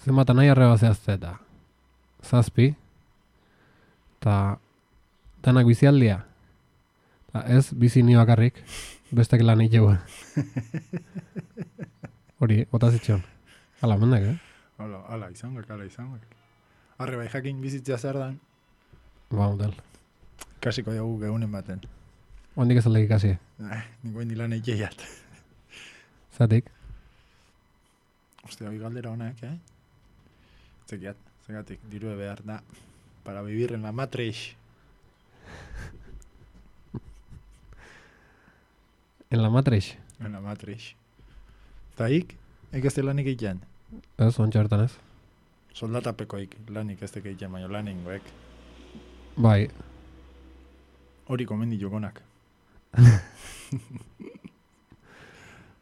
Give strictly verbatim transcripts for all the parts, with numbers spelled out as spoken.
zenbat nahi arreba zehazte eta zazpi, eta danak bizialdia. Ta ez, bizi ni bakarrik, bestek lan egin Hori, botazitxon. Hala, mendak, eh? Hala, hala, izango, hala, izango. Arre, bai jakin bizitzea zer dan. Ba, model. Kasiko dugu gehunen baten. Ondik ez aldek ikasi. Eh, niko indi lan egeiat. Zatik? Ostia, hoi galdera honak, eh? Zekiat, zegatik, dirue behar da. Para vivir en la matriz. En la matriz? En la matriz. Eta ik, ik ez de lanik egiten. Ez, ontsa hortan ez. Soldatapekoik lanik ez de egiten, baina laningoek. Bai. Hori komendi jokonak.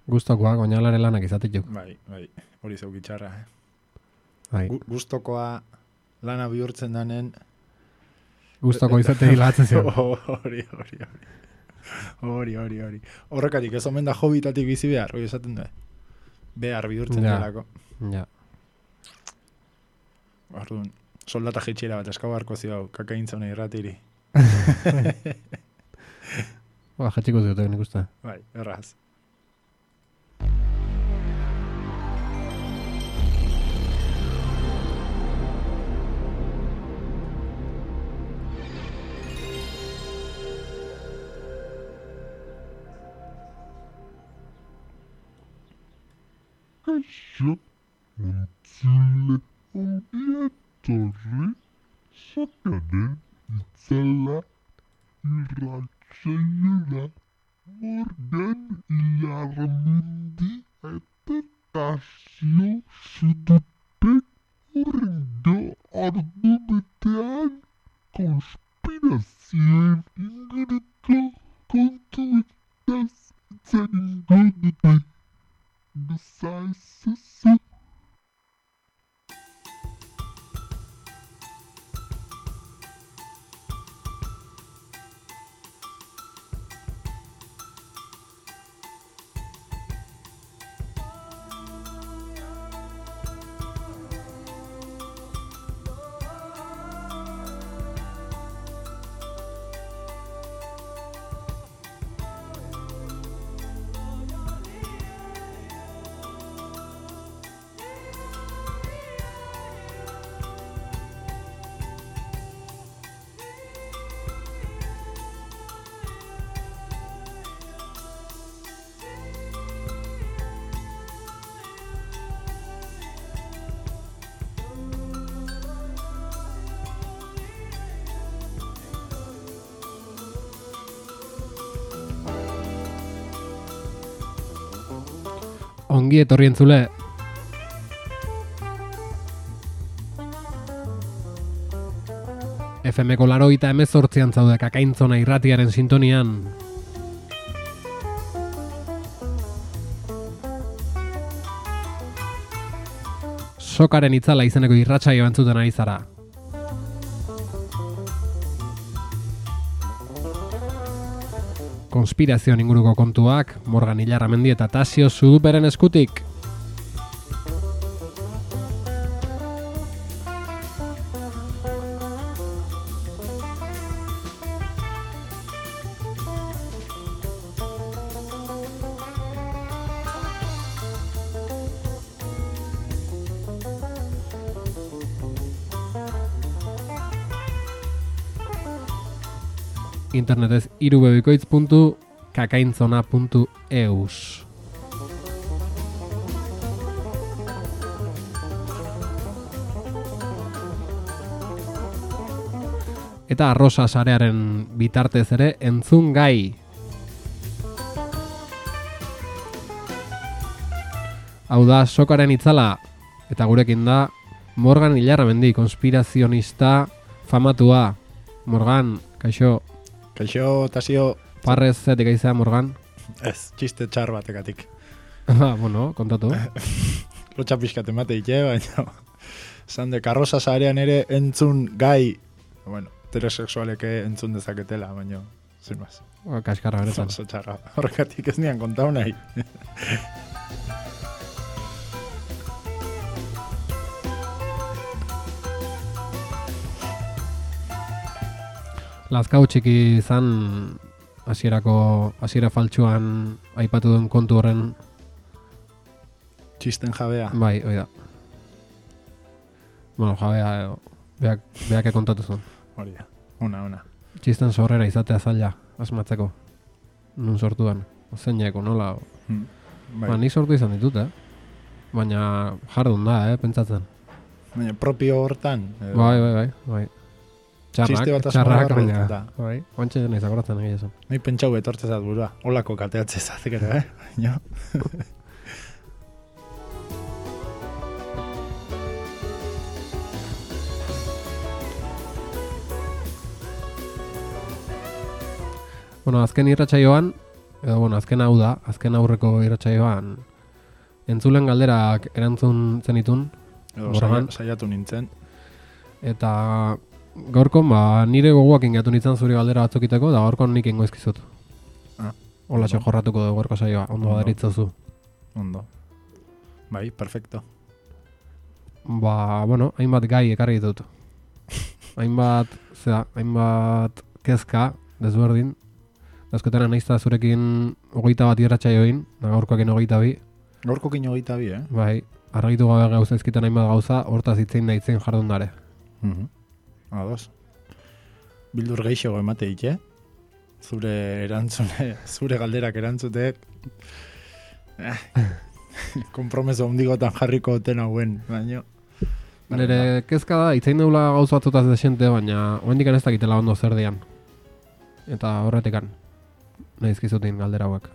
Gustokoak, oinalare lanak izatetuk. Bai, bai, hori zeukitxarra, eh? Bai. Gu- Gustokoa lana bihurtzen danen. Gustoko izate hilatzen zion. Hori, hori, hori. Hori, hori, hori. Horrekatik ez omen da hobitatik bizi behar, hori esaten du. Behar bihurtzen Ja. delako. Ja. Orduan, soldata jetxera bat eskau harko zio, kakaintzona irratiri. Ba, jetxiko ziotek nik uste. Bai, erraz. Kaixo, entzule ongi etorri sokaren itzala irratsaioa Morgan Ilarramendi eta Tasio Zututek urrengo ordu betean konspirazioen inguruko kontuetaz hitz egingo dute. Bezaizuzu. Ongi etorri entzule. F M ko larogeita hemezortzian zaude Kakaintzona irratiaren sintonian. Sokaren itzala izeneko irratsaio entzuten ari zara. Konspirazioen inguruko kontuak, Morgan Ilarramendi eta Tasio Zuduperen eskutik. Internetez irubebikoitz puntu kakaintzona puntu eus. Eta arrosa sarearen bitartez ere entzun gai. Hau da Sokaren itzala eta gurekin da Morgan Ilarramendi, konspirazionista famatua. Morgan, kaixo. Kaixo, Tasio. Parrez zetik aizea, Morgan? Ez, txiste txar batekatik. Ah, bueno, kontatu. Lotxa pixkat emate ite, baina zan de karroza zarean ere entzun gai, bueno, heterosexualeke entzun dezaketela, baina, zin maz. Kaskarra benetan. Oso txarra, horrekatik ez nian kontau nahi. Lazkau txiki izan hasierako hasiera faltsuan aipatu duen kontu horren. Txisten jabea. Bai, hoi da. Bueno, jabea, edo, beak, beak kontatu zuen. Hori da, ona, ona. Txisten sorrera izatea zaila, asmatzeko. Nun sortuan, zeineko, nola. Hmm. Bai. Ba, nik sortu izan ditut, eh? Baina jardun da, eh, pentsatzen. Baina propio hortan. Edo... Bai, bai, bai, bai. Txarrak, Txiste bat txarrak, asmagarri baina, da. bai, oantxe nahi zakoratzen egia esan. Nahi pentsau etortzezat burua, holako kateatzezat, gero, eh? Baina... Bueno, azken irratsaioan, edo bueno, azken hau da, azken aurreko irratsaioan entzulen galderak erantzun zenitun, Edo Morgan. saia- saiatu nintzen. eta gaurkon ba, nire gogoak ingatu nintzen zuri galdera batzukiteko, da gaurkon nik ingo izkizut. Ah, Hola ondo. jorratuko dugu gaurko saioa, ondo Ondo. badaritzozu. Ondo. Bai, perfecto. Ba, bueno, hainbat gai ekarri ditut. hainbat, zera, hainbat kezka, desberdin. Azkotena naizta zurekin hogeita bat irratsaioin, da gaurkoakin hogeita bi. Gaurko kino hogeita bi, eh? Bai, argitu gabe gauza ezkitan hainbat gauza, hortaz itzein da itzein jardun dare. Mhm. Ados. Bildur geixo emate ite. Zure erantzune, zure galderak erantzutek. Eh. Kompromeso hundigotan jarriko oten hauen, baino. Nire kezka da, itzein deula gauza batzutaz desente, baina oendikan ez dakitela ondo zer dian. Eta horretikan, nahi izkizutin galdera hauek.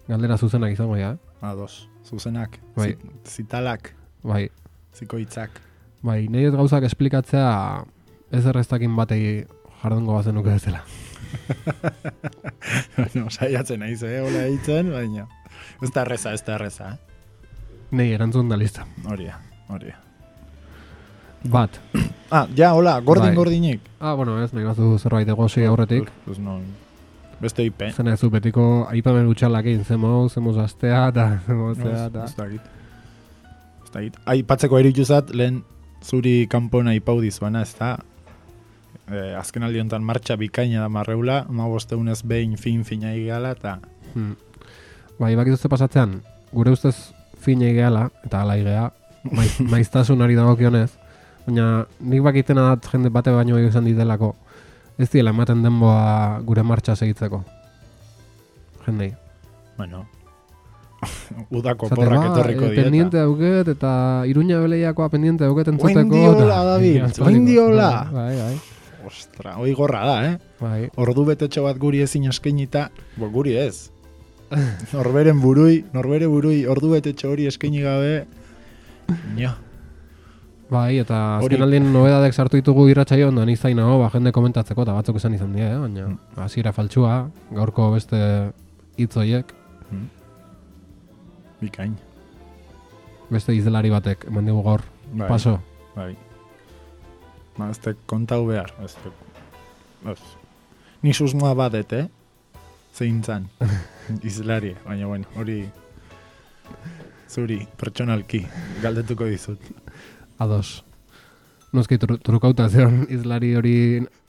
Galdera zuzenak izango ja, eh? Ados. Zuzenak, Bai. zi- zitalak, Bai, zikoitzak. bai, nahi ez gauzak esplikatzea ez erreztakin batei jardungo bazenuke bezala. No, saiatzen naiz, eh, hola eitzen, baina. Ez da erreza, ez da erreza, eh? Nei, erantzun da lista. Hori da, hori da. Bat. Ah, ja, hola, gordin Bai. gordinik. Ah, bueno, ez, nahi bazu zerbait egosi aurretik. Pues no, beste ipe. Zena ez du betiko aipamen utxalakin, zemo, zemo astea, eta zemo zea, eta... Ez dakit. Ez dakit. Aipatzeko erituzat, lehen zuri kanpona aipau dizuana, ez da, eh, azken aldi honetan martxa bikaina da marreula, ma bosteunez behin fin fina igala, eta Hmm. Bai, bakizuzte pasatzean, gure ustez fina gehala, eta ala igea, maiz, maiztasunari dagokionez, baina nik bakitena dat jende bate baino izan ditelako, ez diela ematen denboa gure martxa segitzeko. Jendei. bueno, udako Zate, porrak ba, etorriko eh, dieta. pendiente dauket, eta Iruña beleiakoa pendiente dauket entzuteko. Oindiola, eta- David, Ja, aspaldiko. oindiola. Bai, bai, Ostra, hoi gorra da, eh? bai. Ordu betetxo bat guri ezin eskainita, bo guri ez. Norberen burui, norbere burui, ordu betetxo hori eskaini gabe, nio. Bai, eta Hori- azken aldien nobedadek sartu ditugu irratsaioan da nizain nago, ba, jende komentatzeko, eta batzuk esan izan dira, eh? Baina Mm. hasiera faltsua, gaurko beste hitz horiek, Bikain. beste izdelari batek, eman digu gaur, Bai, paso. Bai. Ba, ez te kontau behar. Ez te... Ez. Ni susmoa badet, eh? Zein zan. Izlari, baina bueno, hori... Zuri, pertsonalki, galdetuko dizut. Ados. Noski tru, trukauta zeon izlari hori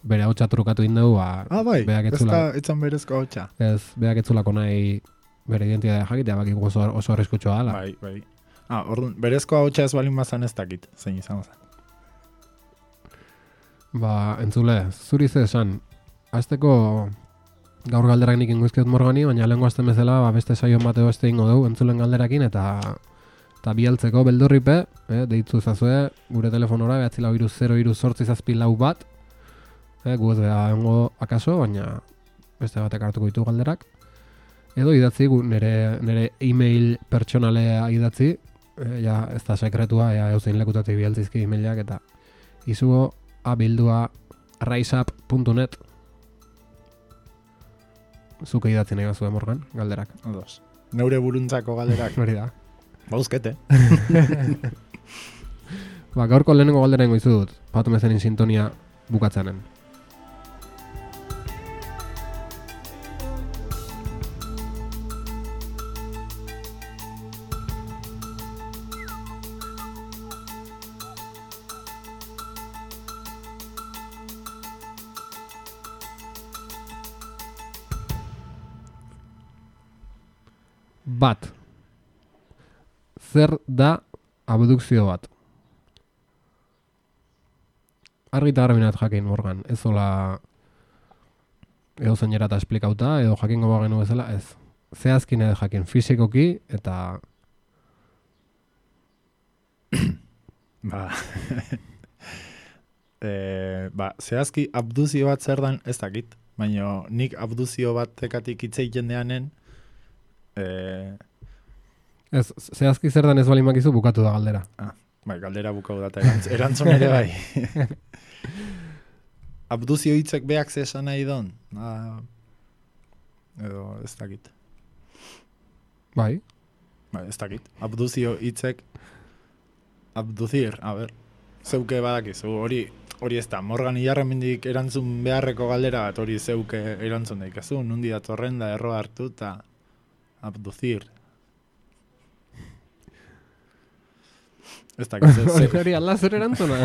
bere hautsa trukatu indegu, ba, Ah, bai, beak ez etzula, da, etzan berezko hotxa. ez, beak etzulako nahi bere identitatea jakitea, baki oso, oso arriskutsua dela. Bai, bai. Ah, orduan, berezko hotxa ez balin bazan ez dakit, zein izan zen. Ba, entzule, zuri ze esan, azteko gaur galderak nik ingoizkiot Morgani, baina lehenko azten bezala ba, beste saio bateo beste ingo dugu entzulen galderakin, eta eta bialtzeko beldurripe, eh, deitzu zazue, gure telefonora, behatzi lau iru zero iru sortzi zazpi lau bat, eh, gu ez beha engo akaso, baina beste batek hartuko ditu galderak. Edo idatzi, gu, nire, nire e-mail pertsonalea idatzi, eh, ja ez da sekretua, ja euzein lekutatik bialtzizki e-mailak, eta izugo abildua raiseup puntu net. Zuke idatzi nahi bazue Morgan, galderak. Ados. Neure buruntzako galderak. Hori da. Bauzkete. Ba, gaurko lehenengo galdera ingo izudut, patu mezenin sintonia bukatzeanen. Bat. Zer da abdukzio bat? Argi eta garbi jakin, Morgan. Ez zola edo zeinera eta esplikauta, edo jakingo bagenu bezala, ez. Zehazkin edo jakin, fizikoki eta... Ba... e, ba, zehazki abduzio bat zer dan ez dakit, baina nik abduzio batekatik hitz egiten deanen e... Ez, zehazki zer dan ez bali makizu bukatu da galdera. Ah, bai, galdera bukatu da, erantz, erantzun ere bai. Abduzio hitzek beak ze esan nahi don? Ah, edo ez dakit. Bai. Bai, ez dakit. Abduzio hitzek abduzir, a ber, zeuke badakizu, hori hori ez da, Morgan Ilarramendik erantzun beharreko galdera bat, hori zeuke erantzun daikazu, nundi datorren da erro hartu eta abduzir. Ez dakit. Hori hori ala zer erantzuna.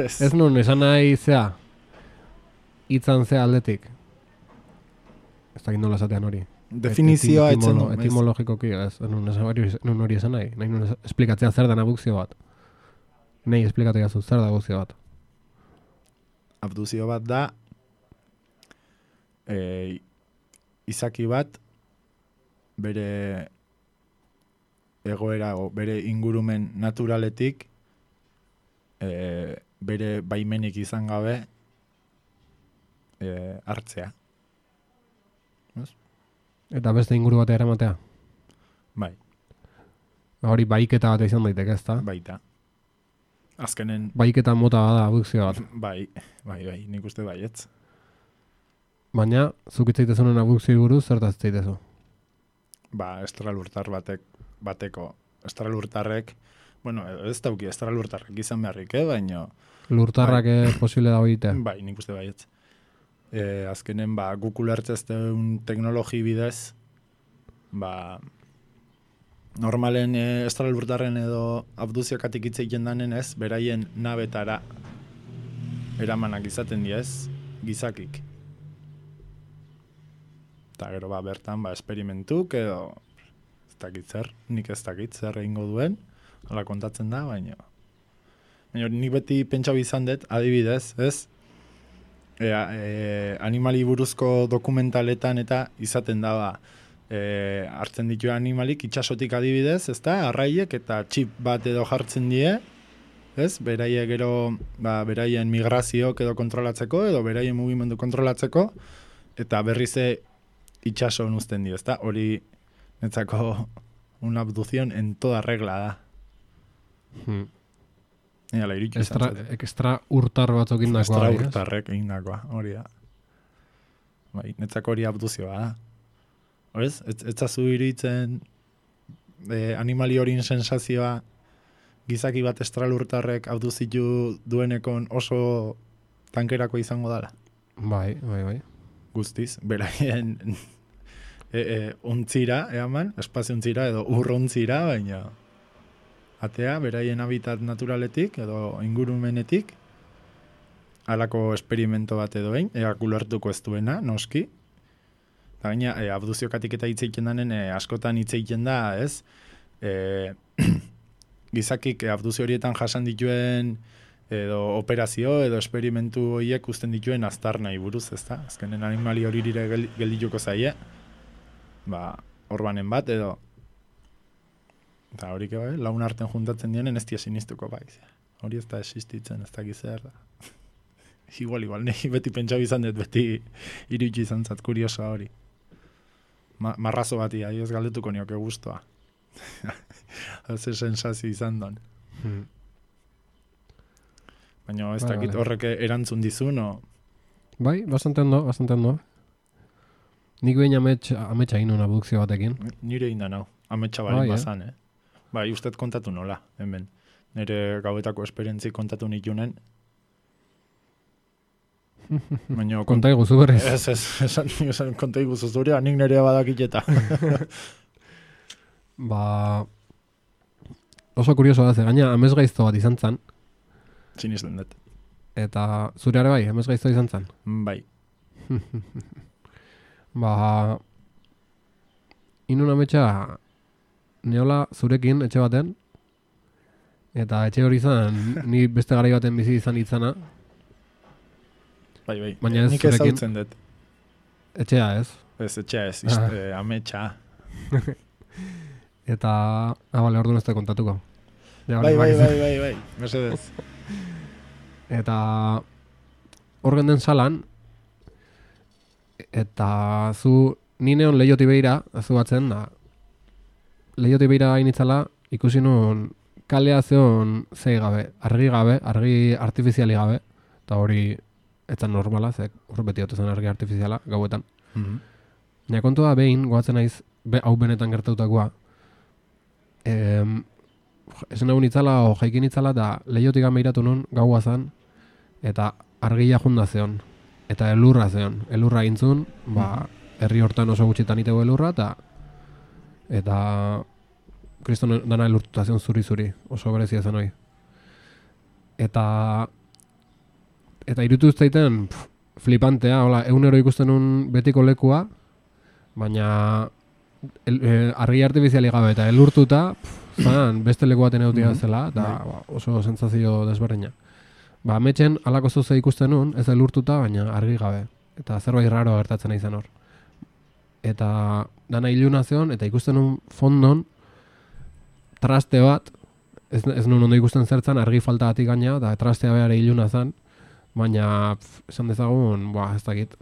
Ez nun, esan nahi zea, hitzan zea aldetik. Ez dakit nola esatean hori. Definizioa Etimolo- etzen du. ez? Etimologikoki, ez, nun esan hori, nun hori esan nahi. Nahi nun es- esplikatzea zer dan abdukzio bat. Nei esplikatu gazu, zer da abdukzio bat. Abduzio bat da e, izaki bat bere egoera o bere ingurumen naturaletik e, bere baimenik izan gabe e, hartzea. Eta beste inguru batea eramatea. Bai, Hori baiketa bat izan daiteke, ezta? baita. Azkenen, Baiketa mota bada abdukzio bat. bai, bai, bai, nik uste baietz. Baina, zuk itzaitezunen abdukzio buruz, zertaz itzaitezu? Ba, estralurtar batek, bateko, estralurtarrek, bueno, ez dauki estralurtarrek izan beharrik, eh, baino, Lurtarrak bai. Posible da hoitea. bai, nik uste baietz. E, azkenen, ba, guk ulertzezteun teknologi bidez, ba, normalen e, estralurtarren edo abduziokatik hitz egiten danen ez, beraien nabetara eramanak izaten diez, gizakik. Eta gero ba, bertan, ba, esperimentuk edo, ez dakit zer, nik ez dakit zer egingo duen, hala kontatzen da, baina... Baina nik beti pentsau izan dut, adibidez, ez? E, e, animali buruzko dokumentaletan eta izaten da, ba, e, hartzen ditu animalik itxasotik adibidez, ez da, arraiek eta txip bat edo jartzen die, ez? Beraie gero, ba, beraien migrazioak edo kontrolatzeko, edo beraien mugimendu kontrolatzeko, eta berrize itxason uzten dio, ez da? Hori netzako una abduzion en toda regla da. Hmm. Ea, iritsu izan Extra, zaten. extra urtar batzuk indakoa. Extra bai, ez? urtarrek egindakoa, hori da. Bai, netzako hori abduzioa da. Horez, ez, ez zazu iruditzen e, animali horien sensazioa gizaki bat estralurtarrek abduzitu duenekon oso tankerako izango dala. Bai, bai, bai. Guztiz, beraien e, e, ontzira, eaman, espazio ontzira edo urrontzira, baina atea, beraien habitat naturaletik edo ingurumenetik, halako esperimento bat edo behin, ea kulertuko ez duena, noski. Eta gaina, e, abduziokatik eta hitz egiten danen, e, askotan hitz egiten da, ez? E, gizakik e, abduzio horietan jasan dituen edo operazio edo esperimentu horiek usten dituen aztarnai buruz, ezta? Azkenen animali hori dire geldituko zaie, ba, orbanen bat edo eta horik bai, laun arten juntatzen dienen ez dia sinistuko bai. Hori ez da existitzen, ez da gizar da. igual, igual, nahi beti pentsau izan dut, beti iritsi izan zat kuriosoa hori. Ma, marrazo bati, ahi ez galdetuko nioke guztua. Haze sensazio izan don. Hmm. Baina ez Vale, dakit vale. horrek erantzun dizun, o... Bai, bastante ondo, bastante ondo. Nik behin amets, ametsa egin una abdukzio batekin. Nire inda nau, ametsa bali Bai, eh? bazan, eh? Bai, ustet kontatu nola, hemen. Nire gauetako esperientzi kontatu nitunen. Baina Konta iguzu berriz. Ez, ez, esan, esan konta iguzu zurea, nik nerea badakiteta. Ba... Oso kurioso da, ze gaina amez gaizto bat izan zan, Sinisten dut. eta zure ere bai, amez gaizto izan zan. Bai, Ba... inun ametsa neola zurekin etxe baten, eta etxe hori izan, ni beste garai baten bizi izan itzana, Bai, bai, baina ez nik zurekin. ezautzen dut. Etxea ez. Ez, etxea ez, ist, Ah. eh, ametsa. Eta, ah, bale, orduan ez da kontatuko. Ja, Bai, bai, bakizu. bai, bai, bai, mesedez. Eta hor genden salan, eta zu ni neon leioti behira, zu batzen da, leioti behira hainitzala, ikusi nun kalea zeon zei gabe, argi gabe, argi artifiziali gabe, eta hori etzan normala, zek hor beti ote zen argi artifiziala, gauetan. Mhm. Nia kontua behin, goatzen naiz, be, hau benetan gertautakoa, em, esan egun itzala, o jaikin itzala, eta leiotik gameiratu nun, gaua zan, eta argia junda zeon, eta elurra zeon, elurra gintzun, ba, herri hortan oso gutxitan itego elurra, eta eta kriston dana elurtuta zeon zuri-zuri, oso berezia zen hoi. Eta eta irutu zaiten pff, flipantea, hola, egunero ikusten nun betiko lekua, baina el, e, argi artifiziali gabe eta elurtuta, pff, zan, beste leku baten eutia zela, eta ba, oso sentsazio desberdina. Ba, ametxen alako zoze ikusten nun, ez elurtuta, baina argi gabe. Eta zerbait raro gertatzen izan hor. Eta dana iluna zeon, eta ikusten nun fondon traste bat, ez, ez nun ondo ikusten zertzan, argi faltagatik gaina, eta trastea behar iluna zen, baina pf, esan dezagun, ba, ez dakit,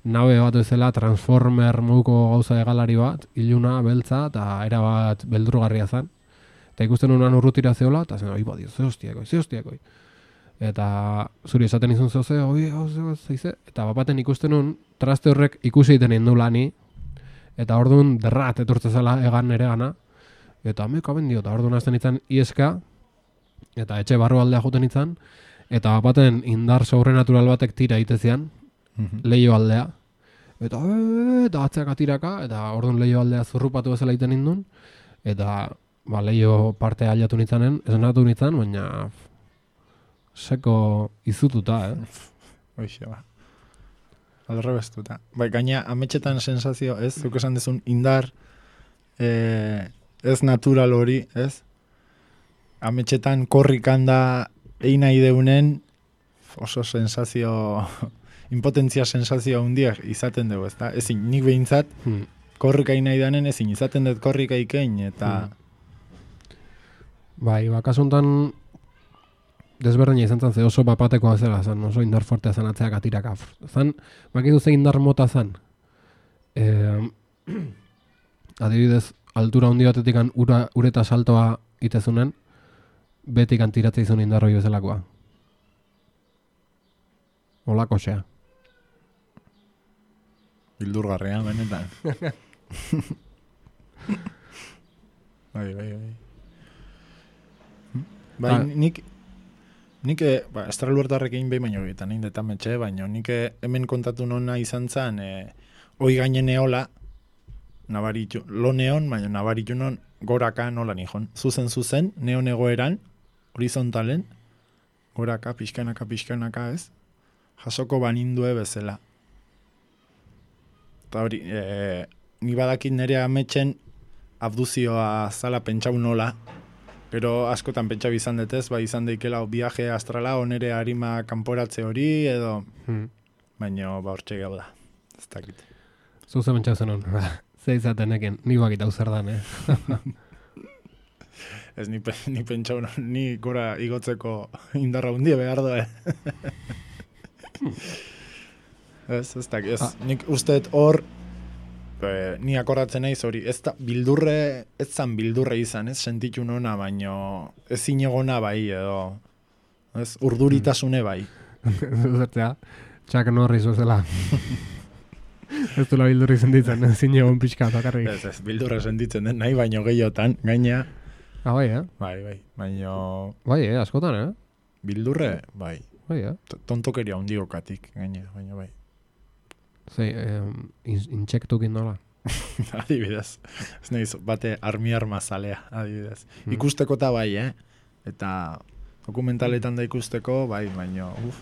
nabe bat bezala, transformer moduko gauza egalari bat, iluna, beltza, eta era bat beldurgarria zen. Eta ikusten nunan urrutira zeola, eta zen, oi, badio, ze hostiakoi, ze hostiakoi. Eta zuri esaten izun zehoze, oi, hau ze, zeize, eta bapaten ikusten nun, traste horrek ikusi egiten indu lani, eta orduan derrat etortze zela egan ere gana, eta meka bendio, eta orduan hasten itzan ieska, eta etxe barru aldea joten itzan, eta bapaten indar sobrenatural batek tira itezian, Mhm. leio aldea, eta "Ee", eta atzeak atiraka, eta orduan leio aldea zurrupatu bezala egiten indun, eta ba, leio parte ailatu nitzanen, esnatu nitzan, baina pff, seko izututa, eh? Hoxe, ba. Alrebestuta. Bai, gaina ametxetan sensazio, ez? Zuk esan dezun indar eh, ez natural hori, ez? Ametxetan korrikan da egin nahi deunen oso sensazio, impotentzia sensazio handiak izaten dugu, ezta? Ezin, nik behintzat, Hmm. korrika egin nahi danen ezin, izaten dut korrika ikein, eta... Bai, ba, kasu honetan desberdina izan zen, ze oso bapatekoa zela zen, oso indar fortea zen atzeak atiraka. Zan, bakizu ze indar mota zen. E, adibidez, altura handi batetik ura, ureta saltoa itezunen, betik antiratzea izun indarroi bezalakoa. Olako xea. Bildurgarria, benetan. bai, bai, bai. Bai, Ah. nik, nik, eh, ba, estraluertarrekin behin baino egiten, egin detan metxe, baino nik eh, hemen kontatu nona izan zen, eh, hoi gainen eola, nabaritu, lo neon, baina nabaritu non, goraka nola nihon. Zuzen, zuzen, neon egoeran, horizontalen, goraka, pixkanaka, pixkanaka ez, jasoko banindue bezala. Eta hori, e, ni badakit nire ametxen abduzioa zala pentsau nola, pero askotan pentsau izan detez, bai izan daikela o viaje astrala, onere harima kanporatze hori, edo, Hmm. baina ba hortxe gau da, ez dakit. Zuze mentxau zenun, ze izateneken, ni bakit hau zer dan, eh? Ez ni, pe- ni pentsau, no- ni gora igotzeko indarra hundie behar doe. ez, ez dakit, ez, Ah. nik usteet hor, e, ni akordatzen naiz hori, ez da, bildurre, ez zan bildurre izan, ez sentitu nona, baino ezin egona bai, edo, ez, urduritasune bai. Zertzea, Chuck Norris zela. Ez duela bildurri zenditzen, zine egon pixka bakarrik. Ez, ez, bildurre sentitzen den, nahi baino gehiotan, gaina, Ah, bai, eh? bai, bai, baino Bai, eh, askotan, eh? bildurre, bai, Bai, eh? T- tontokeria hundiokatik, gaina, baino bai. Zei, eh, in- intsektukin nola. Adibidez, ez nahiz, bate armi-arma zalea, adibidez. Mm. Ikusteko eta bai, eh? Eta dokumentaletan da ikusteko, bai, baino, uf,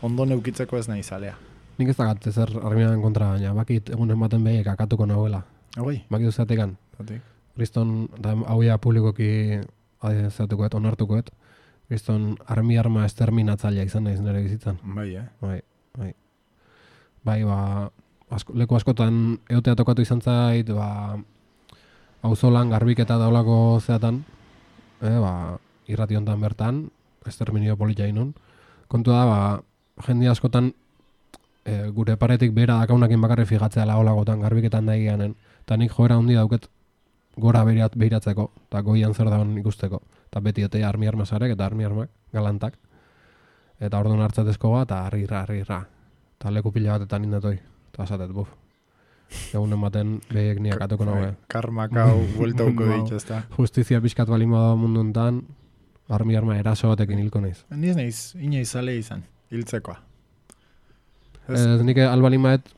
ondo neukitzeko ez nahi zalea. Nik ez dakat zer armiaren kontra, baina bakit egunen baten behi kakatuko nahuela. Hoi, Bakitu zatekan. zatik. Kriston, da hauia publikoki zatukoet, onartukoet. Kriston armi arma esterminatzailea izan naiz nire bizitzan. Bai, eh? Bai, bai. Bai, ba, asko, leku askotan eotea tokatu izan zait, ba, auzolan garbiketa daulako zeatan, eh, ba, irrati hontan bertan, esterminio politia inun. Kontua da, ba, jende askotan e, gure paretik bera dakaunakin bakarri fijatzea laolagotan garbiketan da egianen. Eta nik joera handi dauket gora behirat, behiratzeko, eta goian zer dagoen ikusteko. Eta beti ote armi armasarek eta armi armak, galantak. Eta orduan hartzatezko bat, eta harrirra, harrirra. Eta leku pila batetan indetoi. Eta esatet, buf. Egunen baten behiek niak atuko nagoe. Karmak hau bueltauko ditu, ez da. Justizia pixkat balin bada mundu enten, armi arma eraso batekin hilko naiz. Niz naiz, inoiz zale izan, hiltzekoa. Ez, Ez, nik albalin baet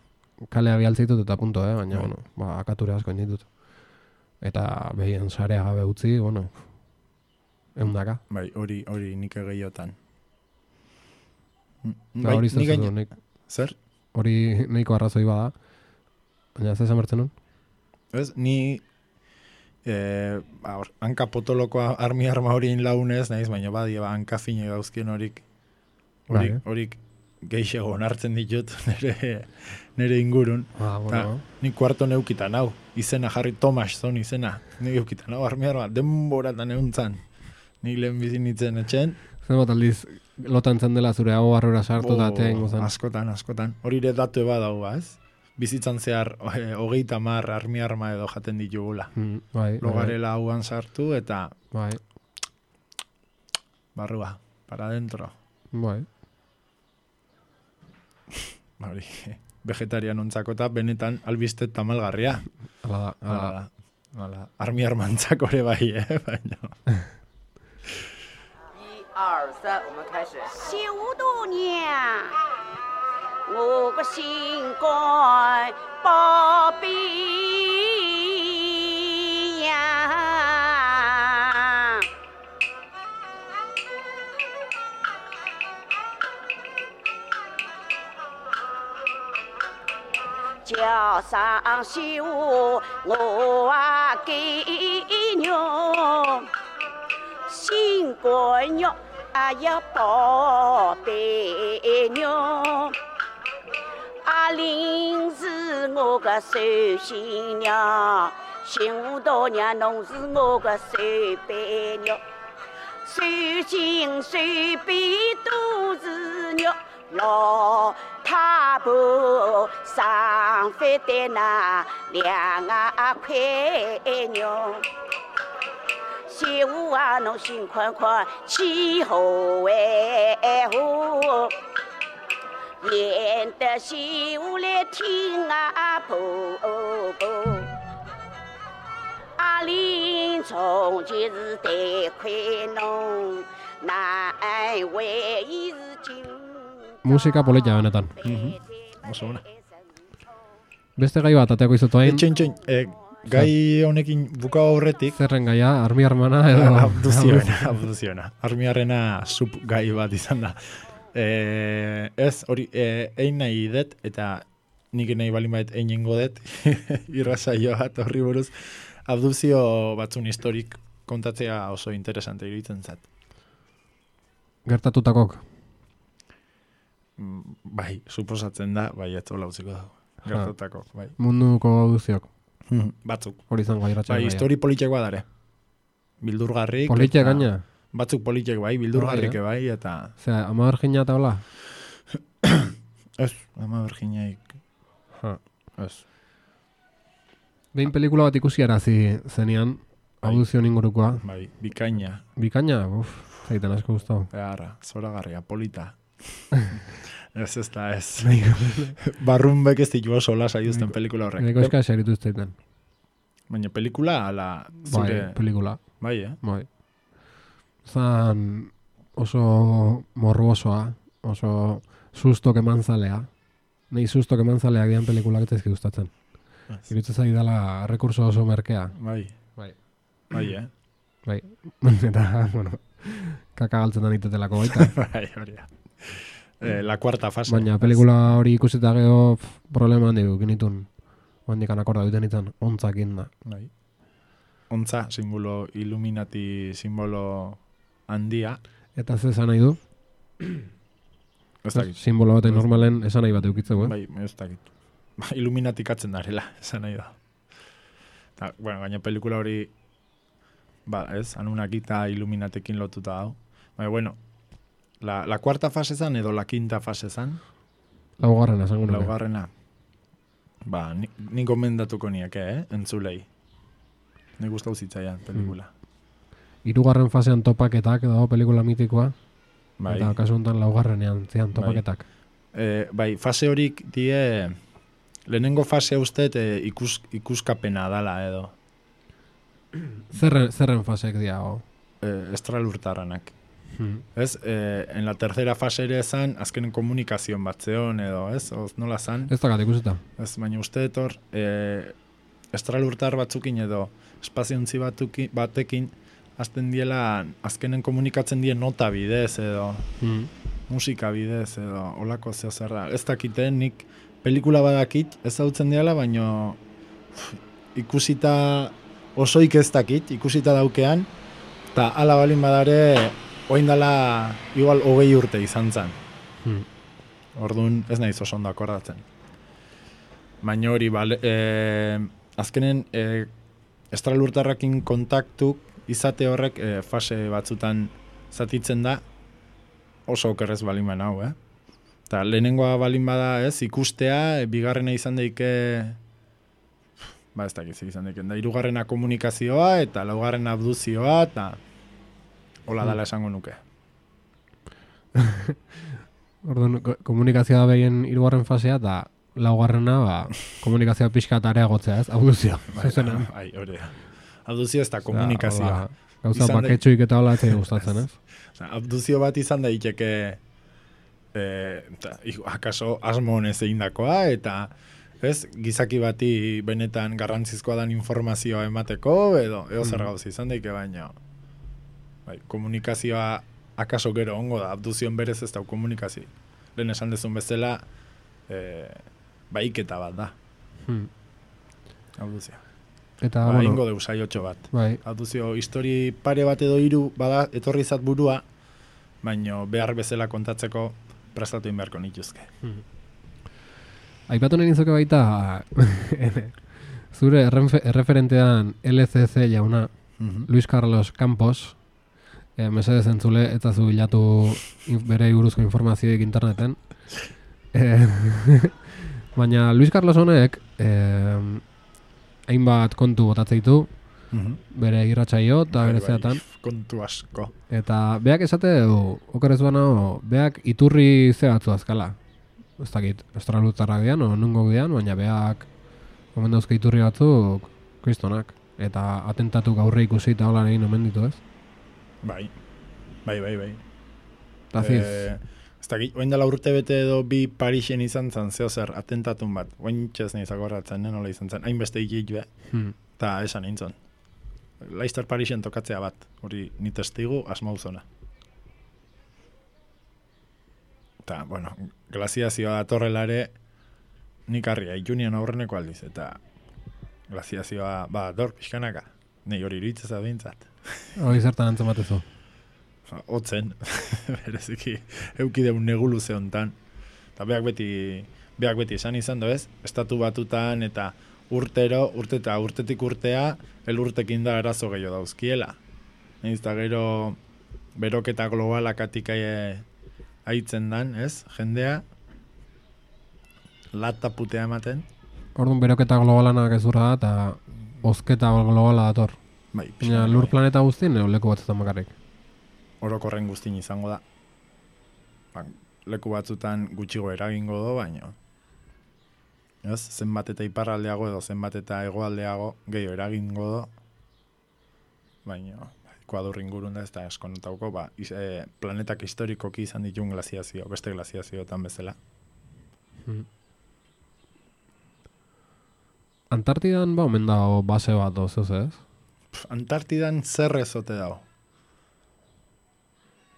kalea bialtzitut eta punto, eh? Baina, Bai. bueno, ba, akature asko inditut. Eta behien sarea gabe utzi, bueno, eundaka. bai, hori, hori nik egehiotan. Eta hori nik zer gaina- nik, Zer? hori nahiko arrazoi bada. Baina, ez esan bertzen nun? Ez, ni eh, ba, hor, hanka potolokoa armi arma horien launez, naiz, baina badia, ba, hanka fine gauzkien horik, horik, Bai. horik geixego onartzen ditut nire, nire ingurun. Ah, bueno. Ni kuarto neukitan hau, izena jarri Tomas zon izena, ni eukitan hau armi arma, denboratan euntzan. Ni lehen bizin nitzen etxen, Zer bat aldiz, lotan zen dela zure hau barrura sartu eta atea ingo zen. askotan, askotan. Hori ere datu eba dago, ez? Bizitzan zehar, eh, hogeita mar armi arma edo jaten ditugula. Mm, bai, bai, Logarela hauan sartu eta bai, barrua, para dentro. bai. Hori, vegetarian ontzako eta benetan albiste tamalgarria. Hala da, hala da. Hala, hala, armi armantzako ere bai, eh? Baina. 一二三，我们开始。小度娘，我个心肝宝贝呀，叫上媳妇我啊给娘。新官肉啊呀宝贝娘，阿玲是我个寿新娘，新大娘侬是我个寿伯娘，寿新寿伯都是肉，老太婆上饭的那两啊块娘。媳妇啊，侬心宽宽，气候为好，演得媳妇来听啊婆婆。阿玲从前是得亏侬，难为伊是今。 Musika polita benetan. Oso ona. Beste gai bat ateako izutu hain, Etxen, etxen, eh, gai honekin buka aurretik, zerren gaia, armi armana edo... abduziona, abduziona. Armiarrena sub gai bat izan da. Eh, ez, hori, eh, egin nahi dut, eta nik nahi balin bait einengo dut, irrasaio bat horri buruz, abduzio batzun historik kontatzea oso interesante iruditzen zat. Gertatutakok. Mm, Bai, suposatzen da, bai, ez hola utziko dago. Gertatako, bai. Munduko auduziok. Batzuk. Hori zango iratxan Bai, histori politxekoa dare. Bildurgarrik. Politxe eta- gaina? Batzuk politxek bai, bildurgarrik Bai, eh? bai, eta... Osea, ama bergina eta hola? Ez, ama berginaik. Ha. Ez. Behin pelikula bat ikusiarazi zenean, Bai. auduzion ingurukoa. Bai, bikaina. Bikaina, uf, zaiten asko gustau. Beharra, zoragarria, polita. Ez ez da ez. Barrunbek ez ditu oso lasa juzten pelikula horrek. Eko eska eseritu zaiten. Baina pelikula, ala, Bai, zure... pelikula. Bai, eh? Bai. Zan oso morruosoa, oso sustok eman zalea. Nei sustok eman zaleak dian pelikulak ez ezki gustatzen. Ez. Iruditzen zai dela rekurso oso merkea. Bai, Bai. bai, eh? Bai. Eta, bueno, kaka galtzen da nitetelako baita. Bai, hori da. Eh, la cuarta fase. Baina pelikula hori ikusita gero pf, problema handi genitun. Oandikan akorda duten itzan, ontzakin da. Bai. Ontza, simbolo, Illuminati simbolo handia. Eta ze esan nahi du? Ez dakit. Simbolo baten normalen esan nahi bat eukitzeko, eh? Bai, ez dakit. Ba, Illuminatikatzen darela, esan nahi da. Ta, bueno, gaina pelikula hori, ba, ez, Anunnakita Illuminatekin lotuta hau. Baina, bueno, la, la cuarta fase zan edo la quinta fase zan, Laugarrena, esango nuke. laugarrena. Ba, ni, ni gomendatuko nieke, eh, entzulei. Ni gustau zitzaian pelikula. Hirugarren fasean topaketak dago pelikula mitikoa, Bai. eta kasu honetan laugarrenean zian topaketak. E, bai, fase horik die, lehenengo fase ustet e, ikus, ikuskapena dala edo, Zerren, zerren fasek diago? e, estralurtarranak. Hmm. Ez, e, en la tercera fase ere zan, azkenen komunikazion bat zeon edo, ez, oz, nola zan, Ez dakat ikusita. ez, baina uste etor, e, estralurtar batzukin edo, espaziontzi batuki, batekin, azten diela, azkenen komunikatzen die nota bidez edo, Hmm. musika bidez edo, olako zeo zerra. Ez dakiten, nik pelikula badakit, ez hautzen diala, baina ikusita osoik ez dakit, ikusita daukean, eta ala balin badare, oindala igual hogei urte izan zen. Hmm. Orduan ez naiz oso ondo akordatzen. Baina hori, bale, e, azkenen e, estralurtarrakin kontaktu izate horrek e, fase batzutan zatitzen da oso okerrez balin bana hau, eh? Eta lehenengoa balin bada ez, ikustea, e, bigarrena izan daike, ba ez dakiz izan daike, da hirugarrena komunikazioa eta laugarrena abduzioa, eta hola dala esango nuke. Orduan, ko- komunikazioa da behien hirugarren fasea, eta laugarrena, ba, komunikazioa pixka eta areagotzea, ez? Abduzio, zuzenean. Bai, hori da. Abduzio ez da komunikazioa. Osea, Gauza Izan da- baketsuik eta hola etzai gustatzen, ez? Osea, abduzio bat izan daiteke e, ta, i- akaso asmo honez egindakoa, eta ez, gizaki bati benetan garrantzizkoa dan informazioa emateko, edo edo zer Mm. gauza izan daike, baina bai, komunikazioa akaso gero ongo da, abduzioen berez ez da komunikazio. Lehen esan dezun bezala, e, baiketa bat da, Hmm. abduzioa. Eta, Ba, bueno, ingo deu saiotxo bat. bai, Abduzio, histori pare bat edo hiru bada etorri zat burua, baino behar bezala kontatzeko prestatu egin beharko nituzke. aipatu nahi nizuke baita, zure errenfe- erreferentean L C C jauna, Luis Carlos Campos, e, mesedez entzule, eta zu bilatu in, bere buruzko informazioik interneten. E, baina Luis Carlos honek, e, hainbat kontu botatzen ditu, bere irratsaio eta bere zeatan, Kontu asko. eta beak esate du, okerez bana, beak iturri ze batzu azkala. Ez dakit, estralurtarrak dian, o nungo dian, baina beak omen dauzke iturri batzuk kristonak. Eta atentatu gaurre ikusi eta hola egin omen ditu, ez? Bai, bai, bai, bai. Eta ziz, Eh, ez dakit, oin dela urte bete edo bi Parisen izan zen, zeo zer, atentatun bat. Oin txez nahi zakorratzen, nola izan zen. Hainbeste ikit be, hmm, eta esan nintzen. Leicester Parisen tokatzea bat, hori ni testigu asmauzona. Eta, bueno, glaziazioa datorrela ere, nik harria, ikunian aurreneko aldiz, eta glaziazioa, ba, dor, pixkanaka. Nei hori iritzez adintzat. hori zertan antzen batezu. Otzen, bereziki, eukideun negulu ze hontan. Eta beak beti, beak beti esan izan do ez, estatu batutan eta urtero, urte eta urtetik urtea, elurtekin da arazo gehiago dauzkiela. Naiz eta gero beroketa globalak atik aie, aitzen dan, ez, jendea, lata putea ematen, Orduan beroketa globalanak ezurra da, eta bozketa globala dator. bai, Baina pixkanaka, lur bai. planeta guztien, edo leku batzutan bakarrik. Orokorren guztin izango da. Ba, leku batzutan gutxigo eragingo do, baino. Ez, zenbat eta iparraldeago edo zenbat eta hegoaldeago gehiago eragingo do. Baino, Ekuador ingurun da ez da eskonotauko, ba, iz, e, planetak historikoki izan ditun glaziazio, beste glaziazioetan bezala. Antartidan ba omen dago base bat doz, ez? Pff, Antartidan zer ez ote dago?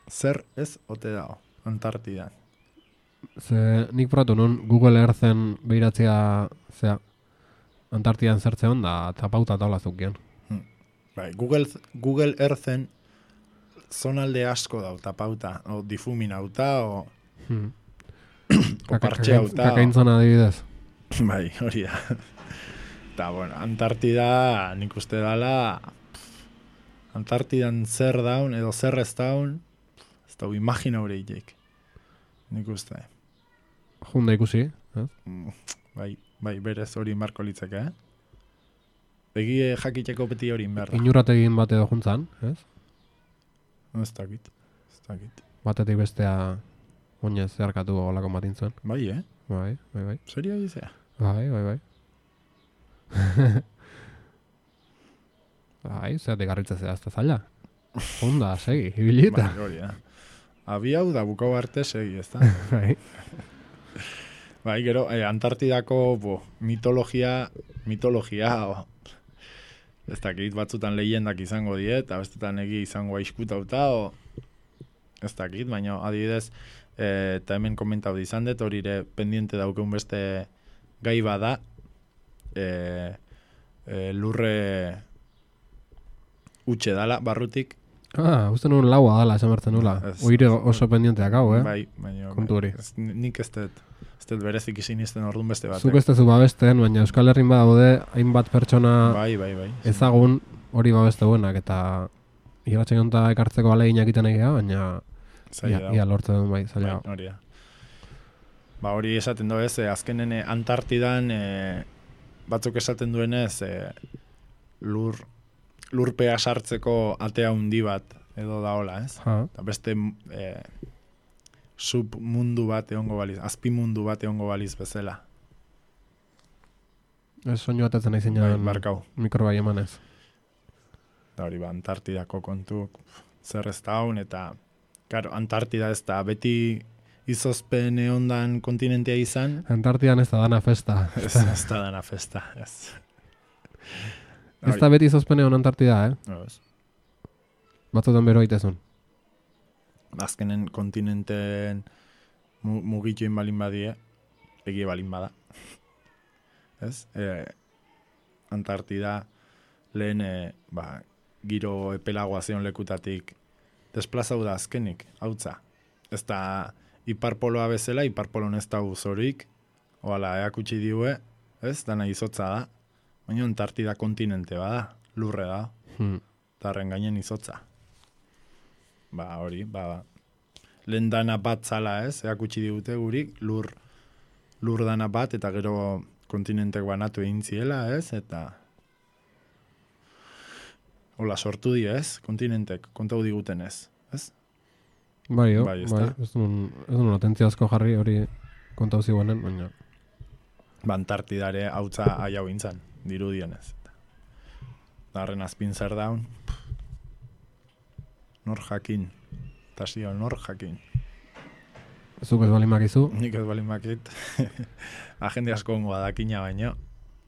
Zer ez ote dago, Antartidan. Ze nik probatu nun Google Earthen behiratzea, zea, Antartidan zertzeon da tapauta taula zukion. Bai, Google, Google Earthen zonalde asko dau tapauta, o difuminauta, o, Hmm. o partxeauta. Kakaintzona adibidez. Bai, hori da. Eta, bueno, Antartida nik uste dala, Antartidan zer daun, edo zer ez daun, ez dau imagina horreitek. Nik uste. Junda ikusi, eh? Bai, bai, berez hori marko litzeke, eh? Egie jakiteko beti hori inberda. Inurategin bat edo juntzan, ez? Ez dakit, ez dakit. Batetik bestea oinez zeharkatu olako matin zuen. Bai, eh? Bai, bai, bai. Serio izea? Bai, bai, bai. Bai, zeatik garritzea azta zaila. Honda, segi, ibilita. Bai, hori da. Abi hau da bukau arte segi, ez da? Bai. Bai, gero, eh, Antartidako bo, mitologia, mitologia, o, ez dakit batzutan lehiendak izango die, eta bestetan egi izango aiskutauta, o, ez dakit, baina adibidez, eh, eta hemen komentau izan dut, hori ere pendiente daukeun beste gai bada, eh, eh, lurre utxe dala, barrutik. Ah, uste nuen laua dala, esan bertzen nula. Ez- Oire oso pendienteak hau, eh? Bai, baina Kontu hori. ez, nik ez dut, ez dut berezik izin izten orduan beste batek. Zuk ez tezu babesten, baina Euskal Herrin badaude hainbat pertsona Bai, bai, bai. ezagun hori babeste duenak, eta irratxe gonta ekartzeko alegin egiten egia, baina Zaila ia, da. ia lortzen duen bai, zaila. Bai, hori da. Ba, hori esaten du ez, eh, azkenen eh, Antartidan eh, batzuk esaten duenez eh, lur, lurpea sartzeko atea handi bat edo da hola, ez? Ha, Eta beste eh, submundu bat egongo baliz, azpimundu bat egongo baliz bezala. ez soinu atatzen nahi Bai, zinean barkau. mikrobai emanez. Da hori ba, Antartidako kontu zer ez daun, eta claro, Antartida ez da beti izozpen ondan kontinentea izan, Antartidan ez da dana festa. ez, ez da dana festa, ez. Ez da beti zozpene hon Antartida, eh? No, ez. Batzutan bero itezun. Azkenen kontinenteen mu, mugituen balin badie, egie balin bada. Ez? E, Antartida lehen e, ba, giro epelagoa zion lekutatik desplazau da azkenik, hautza. Ez da iparpoloa bezala, iparpolon ez da uzorik, oala eakutsi diue, ez? Dana izotza da, baina Antartida kontinente bada, lurre da, Hmm. tarren gainen izotza. Ba, hori, ba, lehen dana bat zala, ez? Eakutsi digute gurik, lur, lur dana bat, eta gero kontinentek banatu egin ziela, ez? Eta hola sortu di, ez? Kontinentek, kontau diguten ez, ez? Bai, jo, Bai, bai, ezta? ez duen, ez duen atentzia asko jarri hori kontau ziguanen, baina Ba, Antartidare hautza aiau intzan, dirudienez. Darren azpin zer daun, nor jakin, eta zio, nor jakin. zuk ez balin makizu, Nik ez balin makit, agende asko ongo adakina baino,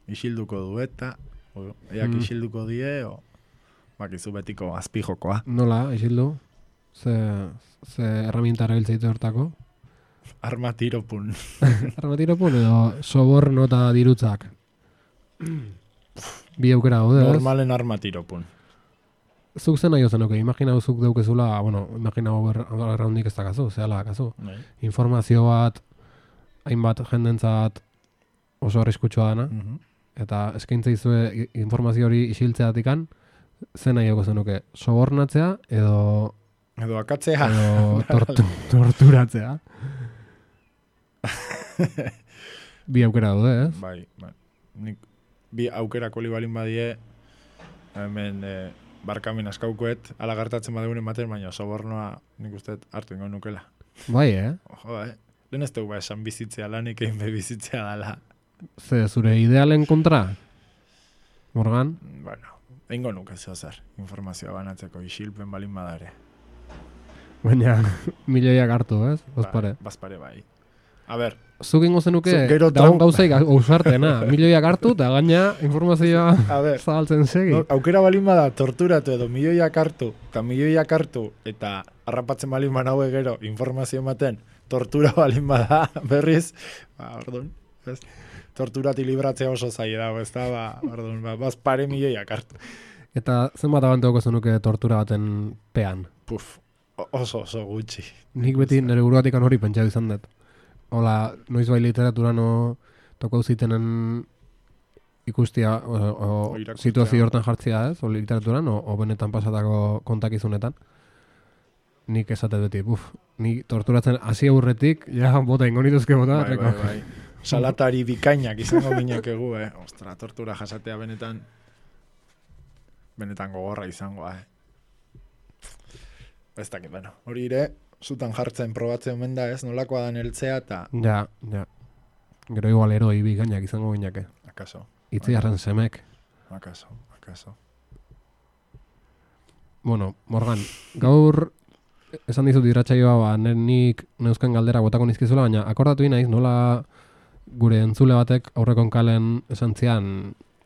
isilduko du eta, o, eak Mm. isilduko die, o, bakizu betiko azpijokoa. nola, isildu, ze, ze herramienta erabiltzeite hortako. Arma tiropun. Armatiropun edo soborno eta dirutzak. Bi aukera gaude, ez? Normalen arma tiropun. Zuk zen nahi ozenuke, imagina zuk deukezula, bueno, imagina erraundik ez dakazu, zehala kazu. Bai. Informazio bat, hainbat jendentzat oso arriskutsua dana, Mhm. eta eskaintza izue i- informazio hori isiltzeatikan, zen nahi zenuke, sobornatzea edo, Edo akatzea. edo tortu, torturatzea. Bi aukera daude, ez? Bai, bai. Nik bi aukerako libalin badie, hemen e, barkamen askaukoet, ala gertatzen badegunen baten, baina sobornoa nik uste hartu ingo nukela. Bai, eh? Ojo, eh? Lehen ez dugu ba esan bizitzea lanik egin be bizitzea dala. Ze zure idealen kontra? Morgan? Bueno, eingo nuke zeo zer, informazioa banatzeko isilpen balin badare. Baina, milioiak hartu, ez? Bazpare. Ba, bazpare bai. A ber, Zuk ingo zenuke, Zuk gero daun tram- gauzaik ausartena. Milioiak hartu, eta gaina informazioa a ber, zabaltzen segi. no, aukera balin bada torturatu edo milioiak hartu, eta milioiak hartu, eta harrapatzen balin banaue gero informazio ematen, tortura balin bada berriz, ba, orduan, ez? torturati libratzea oso zaila dago, ez da, ba, orduan, ba, baz pare milioiak hartu. Eta zenbat abanteuko zenuke tortura baten pean? Puf, oso oso gutxi. Nik beti nire buruatik hori pentsatu izan dut. Hola, noiz bai literatura no toko zitenen ikustia, o, o, O irakurtzea. situazio hortan jartzea ez, o literaturan, o, o benetan pasatako kontakizunetan. Nik esate beti, buf, nik torturatzen hasi aurretik, ja, bota ingo nituzke bota. Bai, bai, bai. Salatari bikainak izango ginekegu, eh? Ostra, tortura jasatea benetan benetan gogorra izango, eh? Ez dakit, bueno, hori ere, zutan jartzen probatzen omen da, ez? Nolakoa dan heltzea eta... Ja, ja. Gero igual eroi bikainak izango gineke. Akaso. Itziarren semek. Akaso, akaso. Bueno, Morgan, gaur esan dizut irratsaioa, ba, nik neuzken galdera botako nizkizula, baina akordatu naiz nola gure entzule batek aurrekon kalen esan zian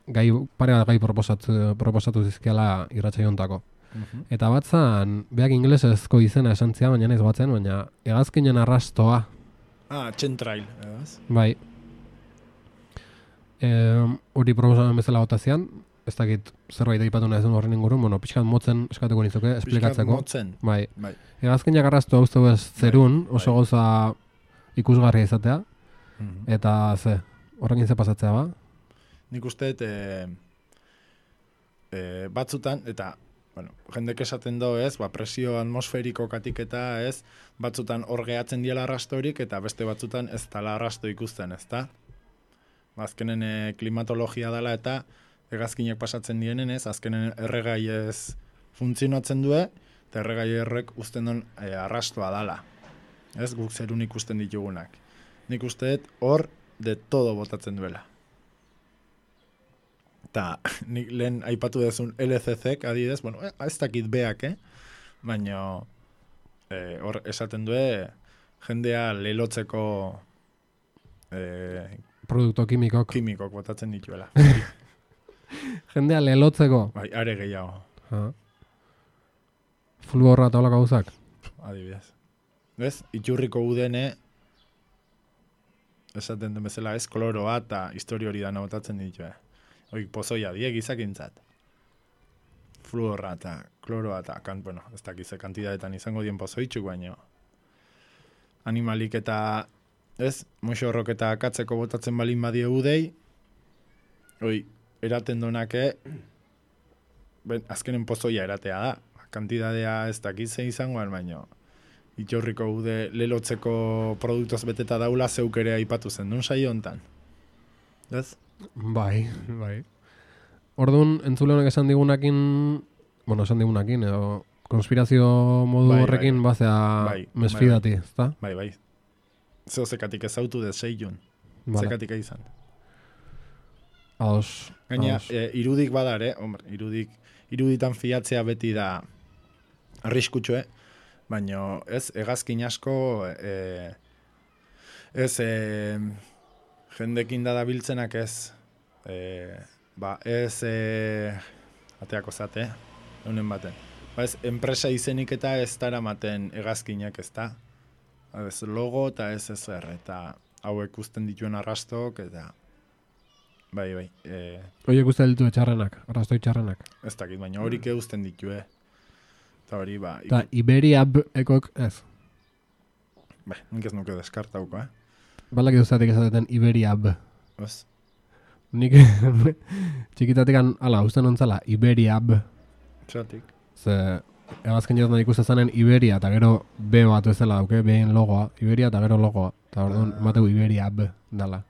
gai, pare bat gai proposatu, proposatu zizkiala irratsaio hontako. Uh-huh. Eta batzan, beak ingelesezko izena esan zian, baina naiz batzen, baina hegazkinen arrastoa. Ah, txentrail, ez? Bai. E, hori proposamen bezala botazian, ez dakit zerbait aipatu nahi zen horren ingurun, bueno, pixkat motzen eskatuko nizuke, esplikatzeko. Pixkat motzen. Bai. Bai. Hegazkinak arrastu hau ez zerun, Bai, oso bai. gauza ikusgarria izatea, Uh-huh. eta ze, horrekin ze pasatzea ba? Nik uste, e, e, batzutan, eta, bueno, jendek esaten do, ez, ba, presio atmosferiko katik eta, ez, batzutan hor gehatzen diela arrastorik, eta beste batzutan ez dala arrasto ikusten, ez da? Azkenen e, klimatologia dela eta hegazkinek pasatzen dienen, ez, azkenen erregai ez funtzionatzen du, eta erregai errek uzten duen e, arrastoa dala. Ez, guk zerun ikusten ditugunak. Nik uste hor de todo botatzen duela. Eta nik lehen aipatu dezun L C C-k adidez, bueno, eh, ez dakit beak, eh? Baina eh, hor esaten du jendea lelotzeko eh, Produkto kimikok. kimikok botatzen dituela. Jendea lelotzeko. Bai, are gehiago, Ha. Fulborra eta holako gauzak. adibidez. Ez, iturriko udene esaten den bezala ez, kloroa eta historia hori dana botatzen ditu, eh? Oik pozoia die gizakintzat. Fluorra eta kloroa eta, kan, bueno, ez dakize kantidadetan izango dien pozoitxuk, baino. Animalik eta, ez, moxorrok eta akatzeko botatzen balin badie udei, oi, eraten donake, ben, azkenen pozoia eratea da. Kantidadea ez dakize izangoan, baino. Itxorriko ude lelotzeko produktoz beteta daula zeuk ere aipatu zen duen saio hontan. Ez? Bai, bai. Orduan, entzule honek esan digunakin, bueno, esan digunakin, edo konspirazio modu Bai, horrekin bai. bazea Bai, mesfidati, ezta? Bai, bai. Zeo zekatik ezautu de seilun. Vale. Zekatik izan. Ados. Gaina, ados. e, irudik badare, hombre, irudik, iruditan fiatzea beti da arriskutsue, baina ez, hegazkin asko, e, ez, e, jendekin da dabiltzenak ez, e, ba, ez, e, ateako zate, eunen baten. Ba, ez, enpresa izenik eta ez daramaten hegazkinak ez da. Ez logo eta ez ezer, eta hauek uzten dituen arrastok, eta bai, bai, e, Oiek uste ditu txarrenak, arrastoi txarrenak. ez dakit, baina horik uzten ditue. Eta hori, ba, Eta Iberia ekok ez. Ba, nik ez nuke deskartauko, eh? Balak iduzatik esaten Iberia B. Ez? Nik txikitatik ala, uste nontzala, Iberia B. Txatik. Ze, egazken jotan ikuste zanen Iberia, eta gero B bat ezela dauke, B-en logoa. Iberia eta gero logoa. Eta orduan, mateu Iberia B, dala.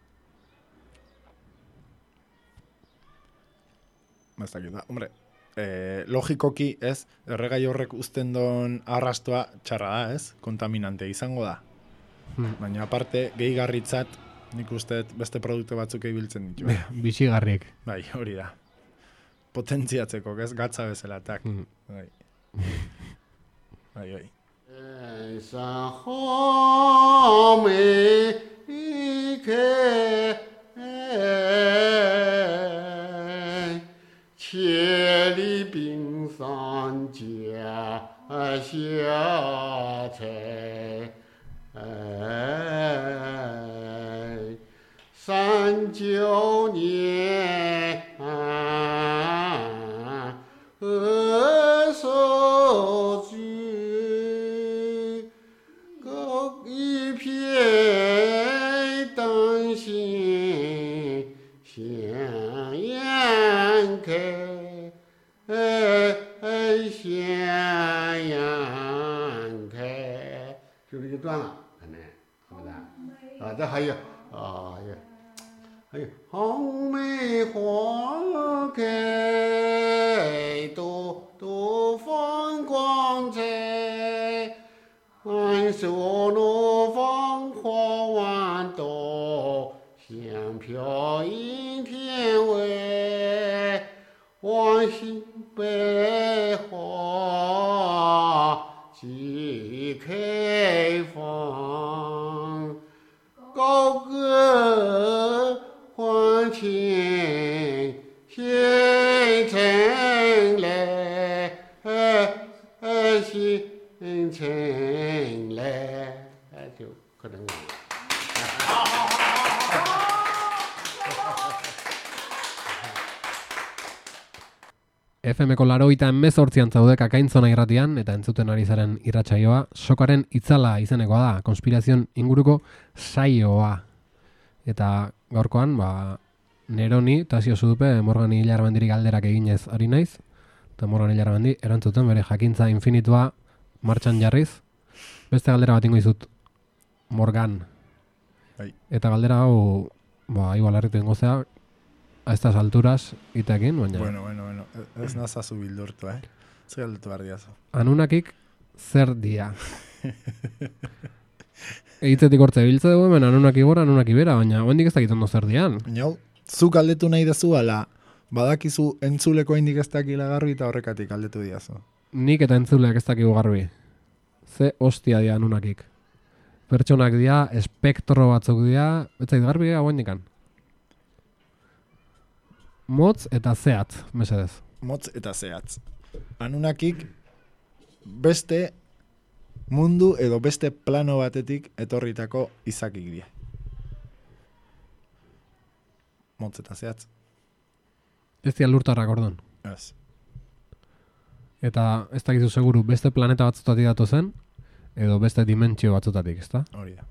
Ez dakit, da. Hombre, eh, logikoki, ez, erregai horrek uzten don arrastoa txarra da, ez? Kontaminante izango da. Hmm. Baina aparte, gehigarritzat, nik uste beste produktu batzuk ibiltzen ditu. Eh? Bixigarriek. Bai, hori da. Potentziatzeko, ez? Gatza bezala, tak. Hmm. Bai. Bai, bai. 天上好美开，千里冰上加下采，山九年何所居？高一片丹心向阳开，向阳开，就这一段了，可能是不是？啊，这还有啊，有还有红梅花开，朵朵放光彩，万树怒放花万朵，香飘映天外，望心百花齐开放，高歌欢庆新春来，新春来，就可能。F M-ko laurogeita hemezortzian zaude Kakaintzona irratian eta entzuten ari zaren irratsaioa Sokaren itzala izenekoa da, konspirazion inguruko saioa. Eta gaurkoan, ba, Neroni, Tasio Zudupe, Morgani Ilarramendirik galderak eginez ari naiz, eta Morgani Ilarramendi erantzuten bere jakintza infinitua martxan jarriz. Beste galdera bat ingo izut, Morgan. Bai. Eta galdera hau, ba, igual harritu ingo zea, a estas alturas itekin, baina... Bueno, bueno, bueno, ez nazazu bildurtu, eh? Zer galdetu behar diazu. Anunakik zer dia. Eitzetik hortze biltze dugu, hemen Anunnaki gora, Anunnaki bera, baina oendik ez dakit ondo zer dian. Baina, zu galdetu nahi dezu, ala, badakizu entzuleko indik ez dakila garbi eta horrekatik galdetu diazu. Nik eta entzuleak ez dakigu garbi. Ze hostia dia Anunnakik. Pertsonak dia, espektro batzuk dia, ez zait garbi hau indikan. Motz eta zehatz, mesedez. Motz eta zehatz. Anunnakik beste mundu edo beste plano batetik etorritako izakik die. Motz eta zehatz. Ez dia lurtarrak ordon. Ez. Eta ez dakizu seguru beste planeta batzutatik datu zen, edo beste dimentsio batzutatik, ezta? Hori da.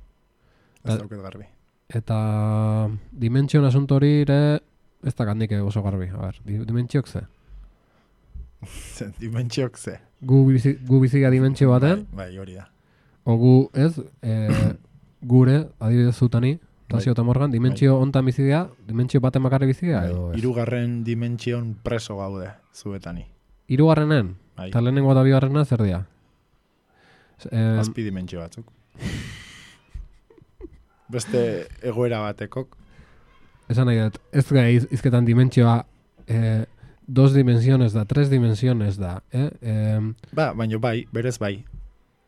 Ez dauket garbi. Eta dimentsioen asunto hori ere ez da kandik oso garbi. A ber, dimentsiok ze? Dimentsiok ze? Gu, bizi, gu biziga dimentsio baten, Bai, bai, hori da. o gu ez, e, gure, adibidez zutani, Tasio eta Morgan, dimentsio hontan biziga, dimentsio baten bakarri biziga, edo ez? Hirugarren dimentsion preso gaude, zuetani. Hirugarrenen? Bai. Eta lehenengo eta bigarrena zer dira? Eh, Azpi dimentsio batzuk. Beste egoera batekok. Esan nahi dut, ez gai iz, izketan dimentsioa eh, dos dimensiones da, tres dimensiones da, eh? eh Ba, baina bai, berez bai.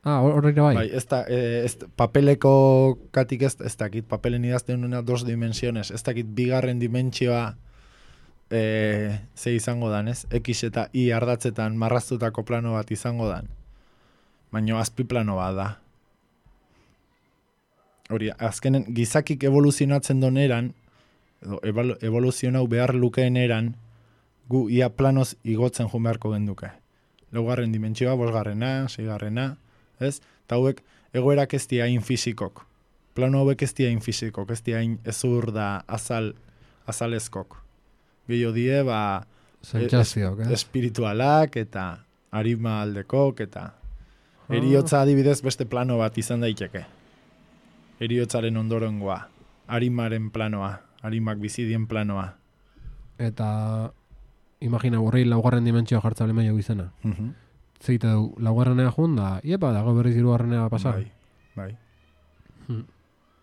ah, horreira bai? Bai, ez da, eh, ez, papeleko katik ez, ez dakit, papelen idazten duena dos dimensiones, ez dakit bigarren dimentsioa eh, ze izango dan, ez? X eta Y ardatzetan marraztutako plano bat izango dan. Baina azpi plano bat da. Hori, azkenen gizakik evoluzionatzen doneran, edo evoluzionau behar lukeen eran, gu ia planoz igotzen joan beharko genduke. Laugarren dimentsioa, bosgarrena, seigarrena, ez? Eta hauek egoerak ez dia hain fizikok. Plano hauek ez dia hain fizikok, ez dia hain ezur da azal, azalezkok. Gehiago die, ba, Sentsazioak, es, eh? espiritualak eta arima aldekok eta eriotza adibidez beste plano bat izan daiteke. Eriotzaren ondorengoa, arimaren planoa, arimak bizidien planoa. Eta imagina burri laugarren dimentsioa jartza bale maio izena. Mhm. Zeite du, laugarrenea jun da, iepa, dago berriz hirugarrenea pasa. Bai, bai. Hmm.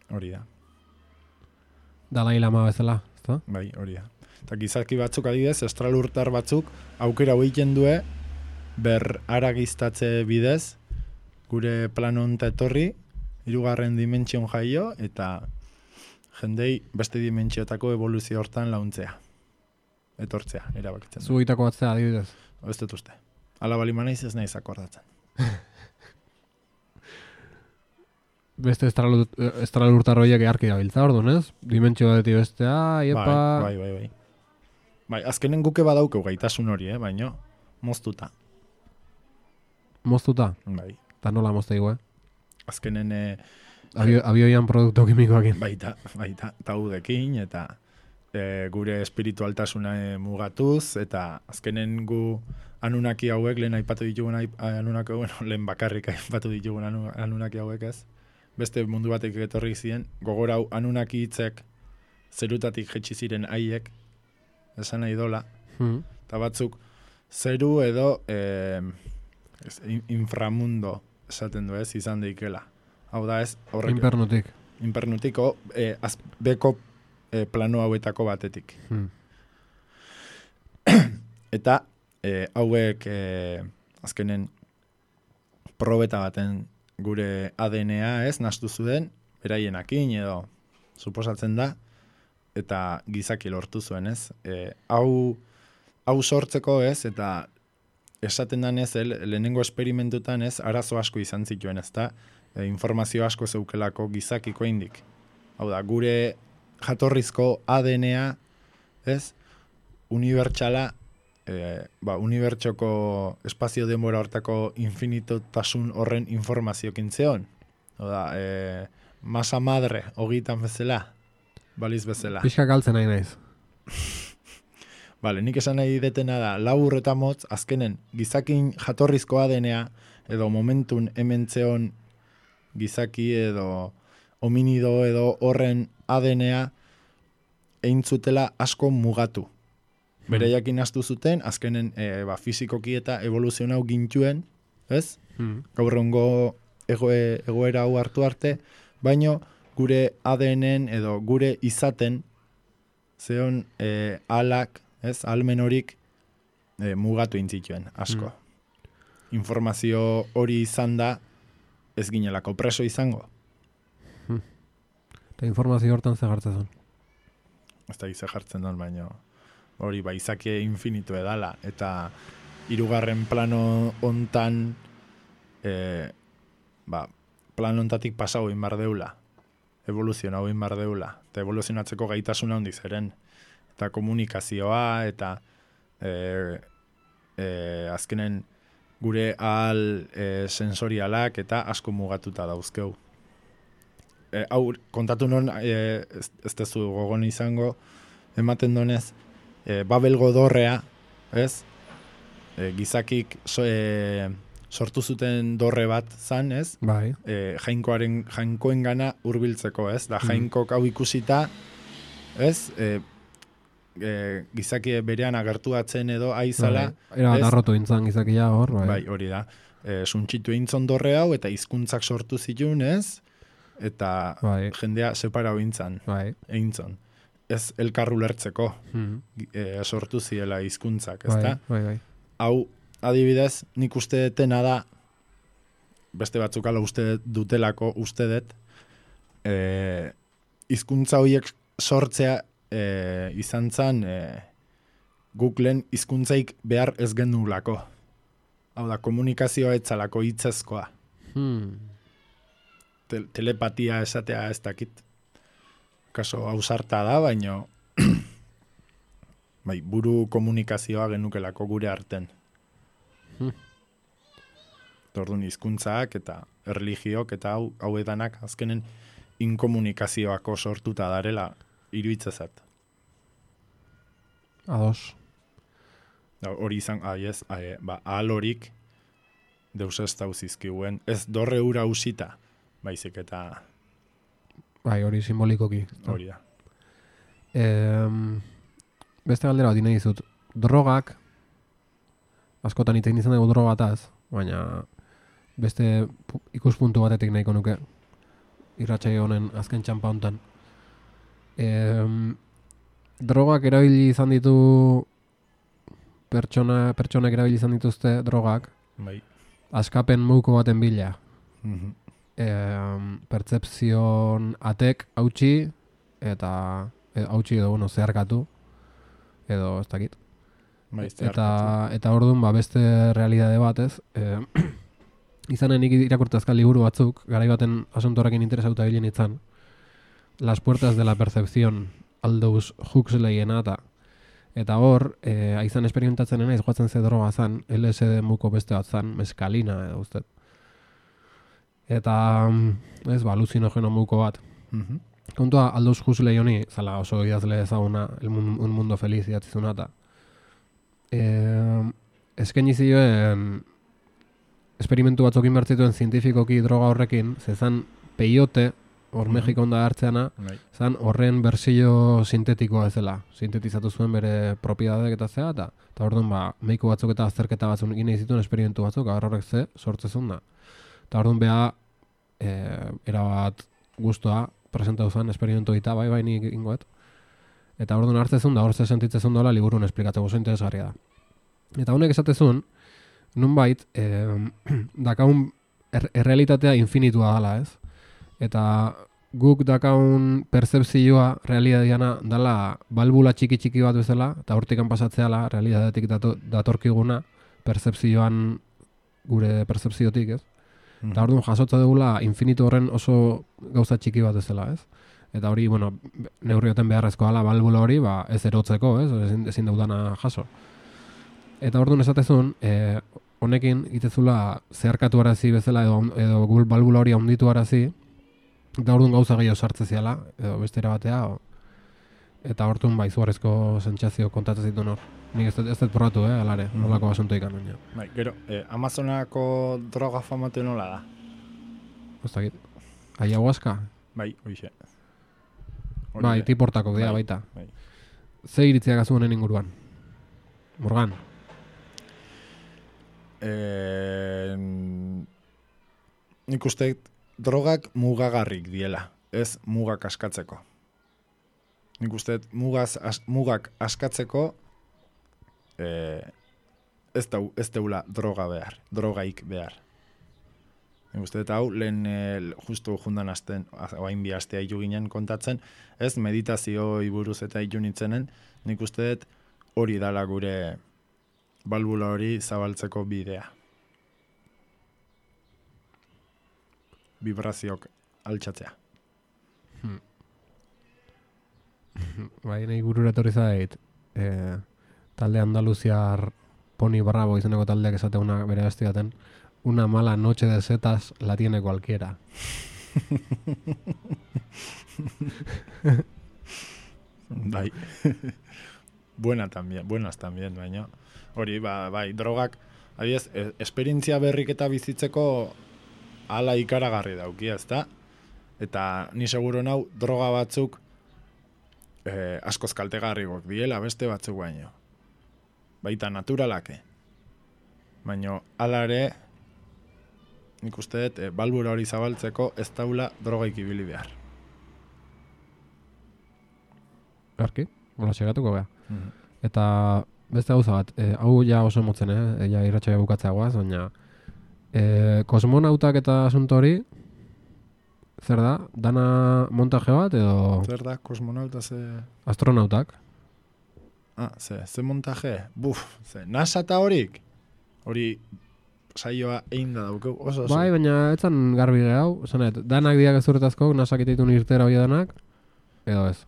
Hori da. Dalai Lama bezala, ezta? Bai, hori da. Eta gizaki batzuk adibidez, estralurtar batzuk, aukera hoiten due, ber aragiztatze bidez, gure plano honta etorri, hirugarren dimentsion jaio, eta jendei beste dimentsiotako evoluzio hortan launtzea. Etortzea, erabakitzen. Zu egitako batzea adibidez. Ez dut uste. Ala bali manaiz ez naiz akordatzen. beste estralurtarroiek eharki gabiltza, orduan, ez? Dimentsio batetik bestea, iepa... Bai, bai, bai, bai. Bai, azkenen guke badaukeu gaitasun hori, eh? Baina, moztuta. Moztuta? Bai. Eta nola mozta igu, eh? Azkenen... Eh, Abio, abioian produktu kimikoakin. Baita, baita, taudekin, eta e, gure espiritualtasuna e, mugatuz, eta azkenen gu anunaki hauek, lehen aipatu ditugun anunaki, bueno, lehen bakarrik aipatu ditugun anu, anunaki hauek ez, beste mundu batek etorri ziren, gogorau anunaki hitzek zerutatik jetxi ziren haiek, esan nahi dola, hmm. eta batzuk zeru edo e, ez, inframundo esaten du ez, izan deikela. Hau da ez, horrek... Inpernutik. Infernutiko, eh, az, beko eh, plano hauetako batetik. Hmm. Eta eh, hauek eh, azkenen probeta baten gure A D N A ez, nastu zuen, beraienakin edo suposatzen da, eta gizaki lortu zuen ez. Eh, hau, hau sortzeko ez, eta esaten danez, el, lehenengo esperimentutan ez, arazo asko izan zituen ez da, E, informazio asko zeukelako gizakiko indik. Hau da, gure jatorrizko A D N A, ez, unibertsala, e, ba, unibertsoko espazio denbora hortako infinitotasun horren informaziokin zeon. Hau da, e, masa madre, hogitan bezala, baliz bezala. Pixka galtzen nahi naiz. Bale, nik esan nahi detena da, labur eta motz, azkenen, gizakin jatorrizko A D N A, edo momentun hemen zeon gizaki edo hominido edo horren A D N A eintzutela asko mugatu. Bereiakin astu zuten, azkenen e, ba, fizikoki eta evoluzionau gintuen, ez? Hmm. Gaur egungo egoe, egoera hau hartu arte, baino gure A D N-en edo gure izaten zeon e, alak, ez? Almen horik e, mugatu intzituen, asko. Hmm. Informazio hori izan da, ez ginelako preso izango. Hmm. Eta informazio hortan ze jartzen zen. Ez da gize jartzen duen, baina hori ba, izaki infinitu edala. Eta hirugarren plano hontan e, ba, plano hontatik pasau inbar deula. Evoluzionau inbar deula. Eta evoluzionatzeko gaitasuna handiz eren. Eta komunikazioa, eta e, e, azkenen gure ahal e, sensorialak eta asko mugatuta dauzkeu. E, hau, kontatu non, e, ez, ez tezu gogon izango, ematen donez, e, Babelgo dorrea, ez? E, gizakik so, e, sortu zuten dorre bat zan, ez? Bai. E, jainkoaren, jainkoen gana hurbiltzeko, ez? Da jainkok hau ikusita, ez? E, E, gizaki berean agertuatzen edo aizala. Bai, era darrotu intzan gizakia hor. Bai, bai hori da. E, suntxitu eintzon dorre hau eta hizkuntzak sortu zituen, ez? Eta bai. Jendea separau intzan. Bai. Eintzon. Ez elkarru lertzeko. Hmm. E, sortu ziela hizkuntzak, Bai, ezta? bai, bai. Hau, adibidez, nik uste detena da, beste batzuk ala uste dutelako, uste dut, e, hizkuntza horiek sortzea E, izan zan e, Googleen hizkuntzaik behar ez genulako. Hau da, komunikazioa etzalako hitzezkoa. Hmm. Te, telepatia esatea ez dakit. Kaso ausarta da, baino bai, buru komunikazioa genukelako gure arten. Hmm. Orduan hizkuntzak eta erligiok eta hau hauetanak azkenen inkomunikazioako sortuta darela iruitzezat. Ados. Hori izan, ai ez, ai, ba, ahal horik deus ez dauzizkiuen. Ez dorre ura usita, baizik eta... Bai, hori simbolikoki. Hori da. E, beste galdera bat nahi dizut. Drogak, askotan itein izan dugu drogataz, baina beste ikuspuntu batetik nahiko nuke irratsaio honen azken txampa hontan. E, drogak erabili izan ditu pertsona, pertsonak erabili izan dituzte drogak Bai. askapen muko baten bila. Mm-hmm. E, pertzepzion atek hautsi eta e, hautsi edo bueno, zeharkatu edo ez dakit. Bai, eta eta orduan ba, beste realitate bat ez. E, izanen nik irakurtazka liburu batzuk, garai baten asuntorekin interesauta bilen itzan, Las puertas de la percepción, Aldous Huxleyena eta eta hor, e, aizan esperimentatzen nena, izgoatzen ze droga zan, L S D muko beste bat zan, meskalina edo uste. Eta, ez, ba, aluzinogeno muko bat. Mhm. Kontua, Aldous Huxley honi, zala oso idazle ezaguna, el mun, Un Mundo Feliz idatzizuna eta e, eskaini zioen esperimentu batzuk inbertzituen zientifikoki droga horrekin, zezan peyote, hor Mexikon da hartzeana, Bai. zan horren bersio sintetikoa ez dela. Sintetizatu zuen bere propiedadek eta zea, eta eta orduan ba, mediku batzuk eta azterketa batzuk egin nahi zituen esperimentu batzuk, agar horrek ze sortzezun da. Eta orduan beha, e, erabat guztua presentatu zen esperimentu eta bai bai nik ingoet. Eta orduan hartzezun da, hor ze sentitzezun dola liburun esplikatzeko oso interesgarria da. Eta honek esatezun, nunbait, e, dakaun er, errealitatea infinitua dela, ez? Eta guk dakaun percepzioa realidadiana dala balbula txiki-txiki bat bezala, eta hortikan pasatzeala realidadetik dato, datorkiguna percepzioan gure percepziotik, ez? Mm. Eta orduan jasotza dugula infinitu horren oso gauza txiki bat bezala, ez? Eta hori, bueno, neurrioten beharrezkoa dela balbula hori, ba, ez erotzeko, ez? Ezin, ezin daudana jaso. Eta orduan esatezun, e, honekin itezula zeharkatu arazi bezala edo, edo gul balbula hori handitu arazi, eta orduan gauza gehiago sartze ziala, edo bestera batea, o, eta orduan ba, izugarrizko sentsazio kontatzen zituen hor. Nik ez dut ez dut probatu, eh, alare, Mhm. nolako basunto ikan baina. Bai, gero, eh, Amazonako droga famatu nola da? Ez dakit. Ayahuasca? Bai, hoixe. Hori Bai, be. tiportako dira Bai, baita. bai. Ze iritziak azu honen inguruan? Morgan? Eh, nik uste drogak mugagarrik diela, ez mugak askatzeko. Nik uste mugaz, as, mugak askatzeko eh, ez, dau, ez deula droga behar, drogaik behar. Nik uste hau lehen eh, justu jundan asten, oain bi astea hilu ginen kontatzen, ez meditazio buruz eta hilu nintzenen, nik uste hori dala gure balbula hori zabaltzeko bidea. Vibrazioak altxatzea. Bai, nahi burura etorri zait, e, talde andaluziar Poni Bravo izeneko taldeak esate una bere bestiaten, una mala noche de setas la tiene cualquiera. Bai. Buena también, buenas también, baina. Hori, ba, bai, drogak, adiez, e, esperientzia berrik eta bizitzeko ala ikaragarri dauki, ezta? Eta ni seguro nau droga batzuk eh, askoz kaltegarrigok diela beste batzuk baino. Baita naturalake. Baina hala ere nik uste dut eh, balbura hori zabaltzeko ez daula drogaik ibili behar. Garki, hola segatuko beha. Mhm. Eta beste gauza bat, e, hau ja oso motzen, eh? Ja irratxoia bukatzea guaz, baina e, kosmonautak eta asunto hori, zer da? Dana montaje bat edo Zer da, kosmonauta ze... astronautak? Ah, ze, ze montaje? Buf, ze, NASA eta horik? Hori saioa egin da daukeu, oso oso. Bai, baina etzan garbi gehau, zanet, danak diak ezurtazko, nasak iteitun irtera hori danak, edo ez.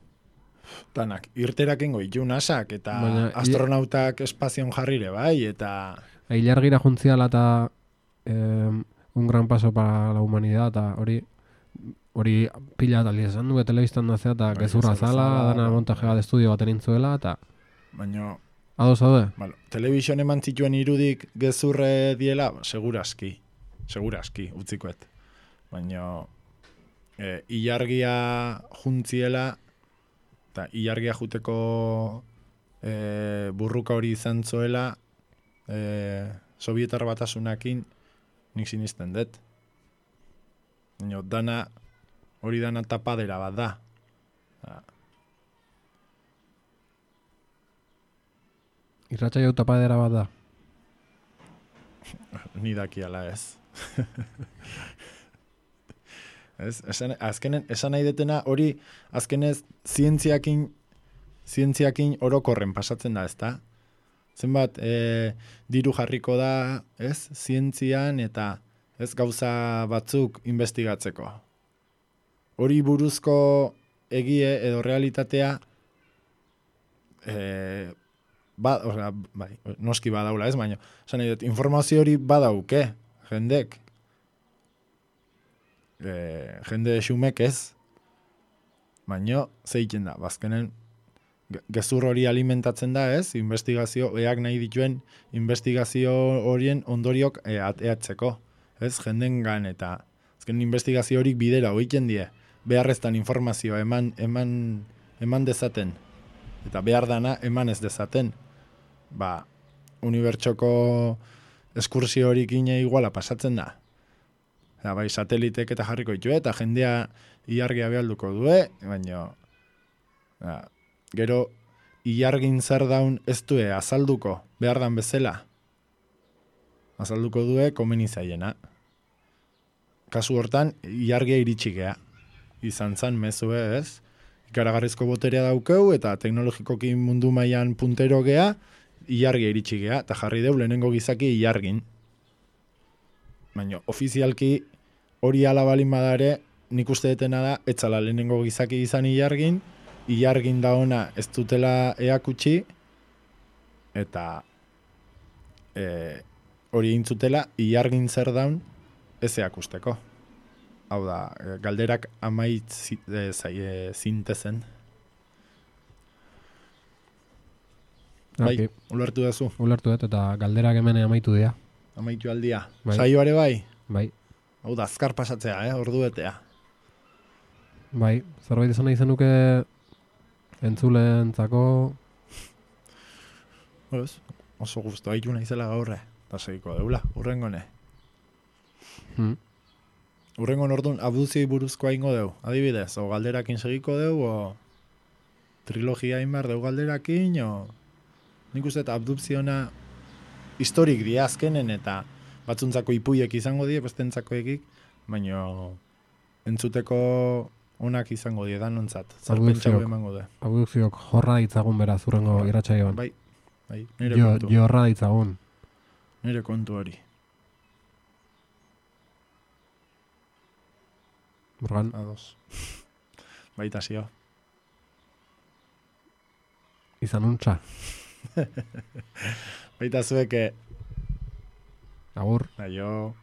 Danak, irterak ingo itu nasak, eta Baina, astronautak espazion jarrire, bai, eta... Ilargira juntziala eta eh, un gran paso para la humanidad, eta hori hori pila eta esan du, telebistan da zea, eta Bai, gezurra gezurra zala, zala, dana bai, montaje bai. bat estudio bat enintzuela, eta Baina, ados zaude? bueno, telebizion eman zituen irudik gezurre diela, seguraski, seguraski, utzikoet. Baina, e, ilargia juntziela, eta ilargia juteko e, burruka hori izan zoela, e, Sovietar batasunakin nik sinisten dut. Baina, dana, hori dana tapadera bat da. Da. Irratxa jau tapadera bat da. Ni dakiala ez. Ez, esan, azkenen, esan nahi detena hori azkenez zientziakin zientziakin orokorren pasatzen da, ezta? Zenbat e, diru jarriko da, ez? Zientzian eta ez gauza batzuk investigatzeko. Hori buruzko egie edo realitatea e, ba, osea, bai, noski badaula ez, baina esan nahi dut, informazio hori badauke, jendek. E, jende xumek ez, baina zeiten da, bazkenen gezur hori alimentatzen da ez, investigazio, eak nahi dituen investigazio horien ondoriok e, ateatzeko, ez, jendengan eta azken investigazio horik bidera hoiten die, beharreztan informazioa eman, eman, eman dezaten, eta behar dana eman ez dezaten, ba, unibertsoko eskursio horik ine iguala pasatzen da. Eta bai, satelitek eta jarriko ditu, eta jendea ilargia behalduko due, baina ba, gero ilargin zer daun ez due azalduko, behar dan bezala. Azalduko due komeni zaiena. Kasu hortan, ilargia iritsi gea. Izan zan mezue ez, ikaragarrizko boterea daukeu, eta teknologikoki mundu mailan puntero gea, ilargia iritsi gea, eta jarri deu lehenengo gizaki ilargin. Baina, ofizialki hori alabalin badare, nik uste detena da, etzala lehenengo gizaki izan ilargin, ilargin da ona ez dutela eakutsi, eta e, hori intzutela, ilargin zer daun ez eakusteko. Hau da, galderak amait e, e, zintezen. Bai, Okay. ulertu dazu. Ulertu dut, eta galderak hemen amaitu dira. Amaitu aldia. Bai. Saioare bai? Bai. Hau da, azkar pasatzea, eh? Ordu betea. Bai, zerbait izan nahi zenuke entzuleentzako. Ez, oso guztu haitu naizela gaurre. Eta segiko deula, urrengone. Hmm. Urrengon orduan abduzioi buruzkoa ingo deu, adibidez, o galderakin segiko deu, o trilogia inbar deu galderakin, o nik uste eta abduziona historik dia azkenen, eta batzuntzako ipuiek izango die, bestentzako ekik, baina entzuteko onak izango die, danontzat, zarpentsau emango de. Abdukziok jorra ditzagun beraz urrengo irratsaioan. Bai, bai, nire Jo, kontu. jorra ditzagun. Nire kontu hori. Morgan. Ados. Baita zio. Izan untza. Baita zueke. Agur. Aio.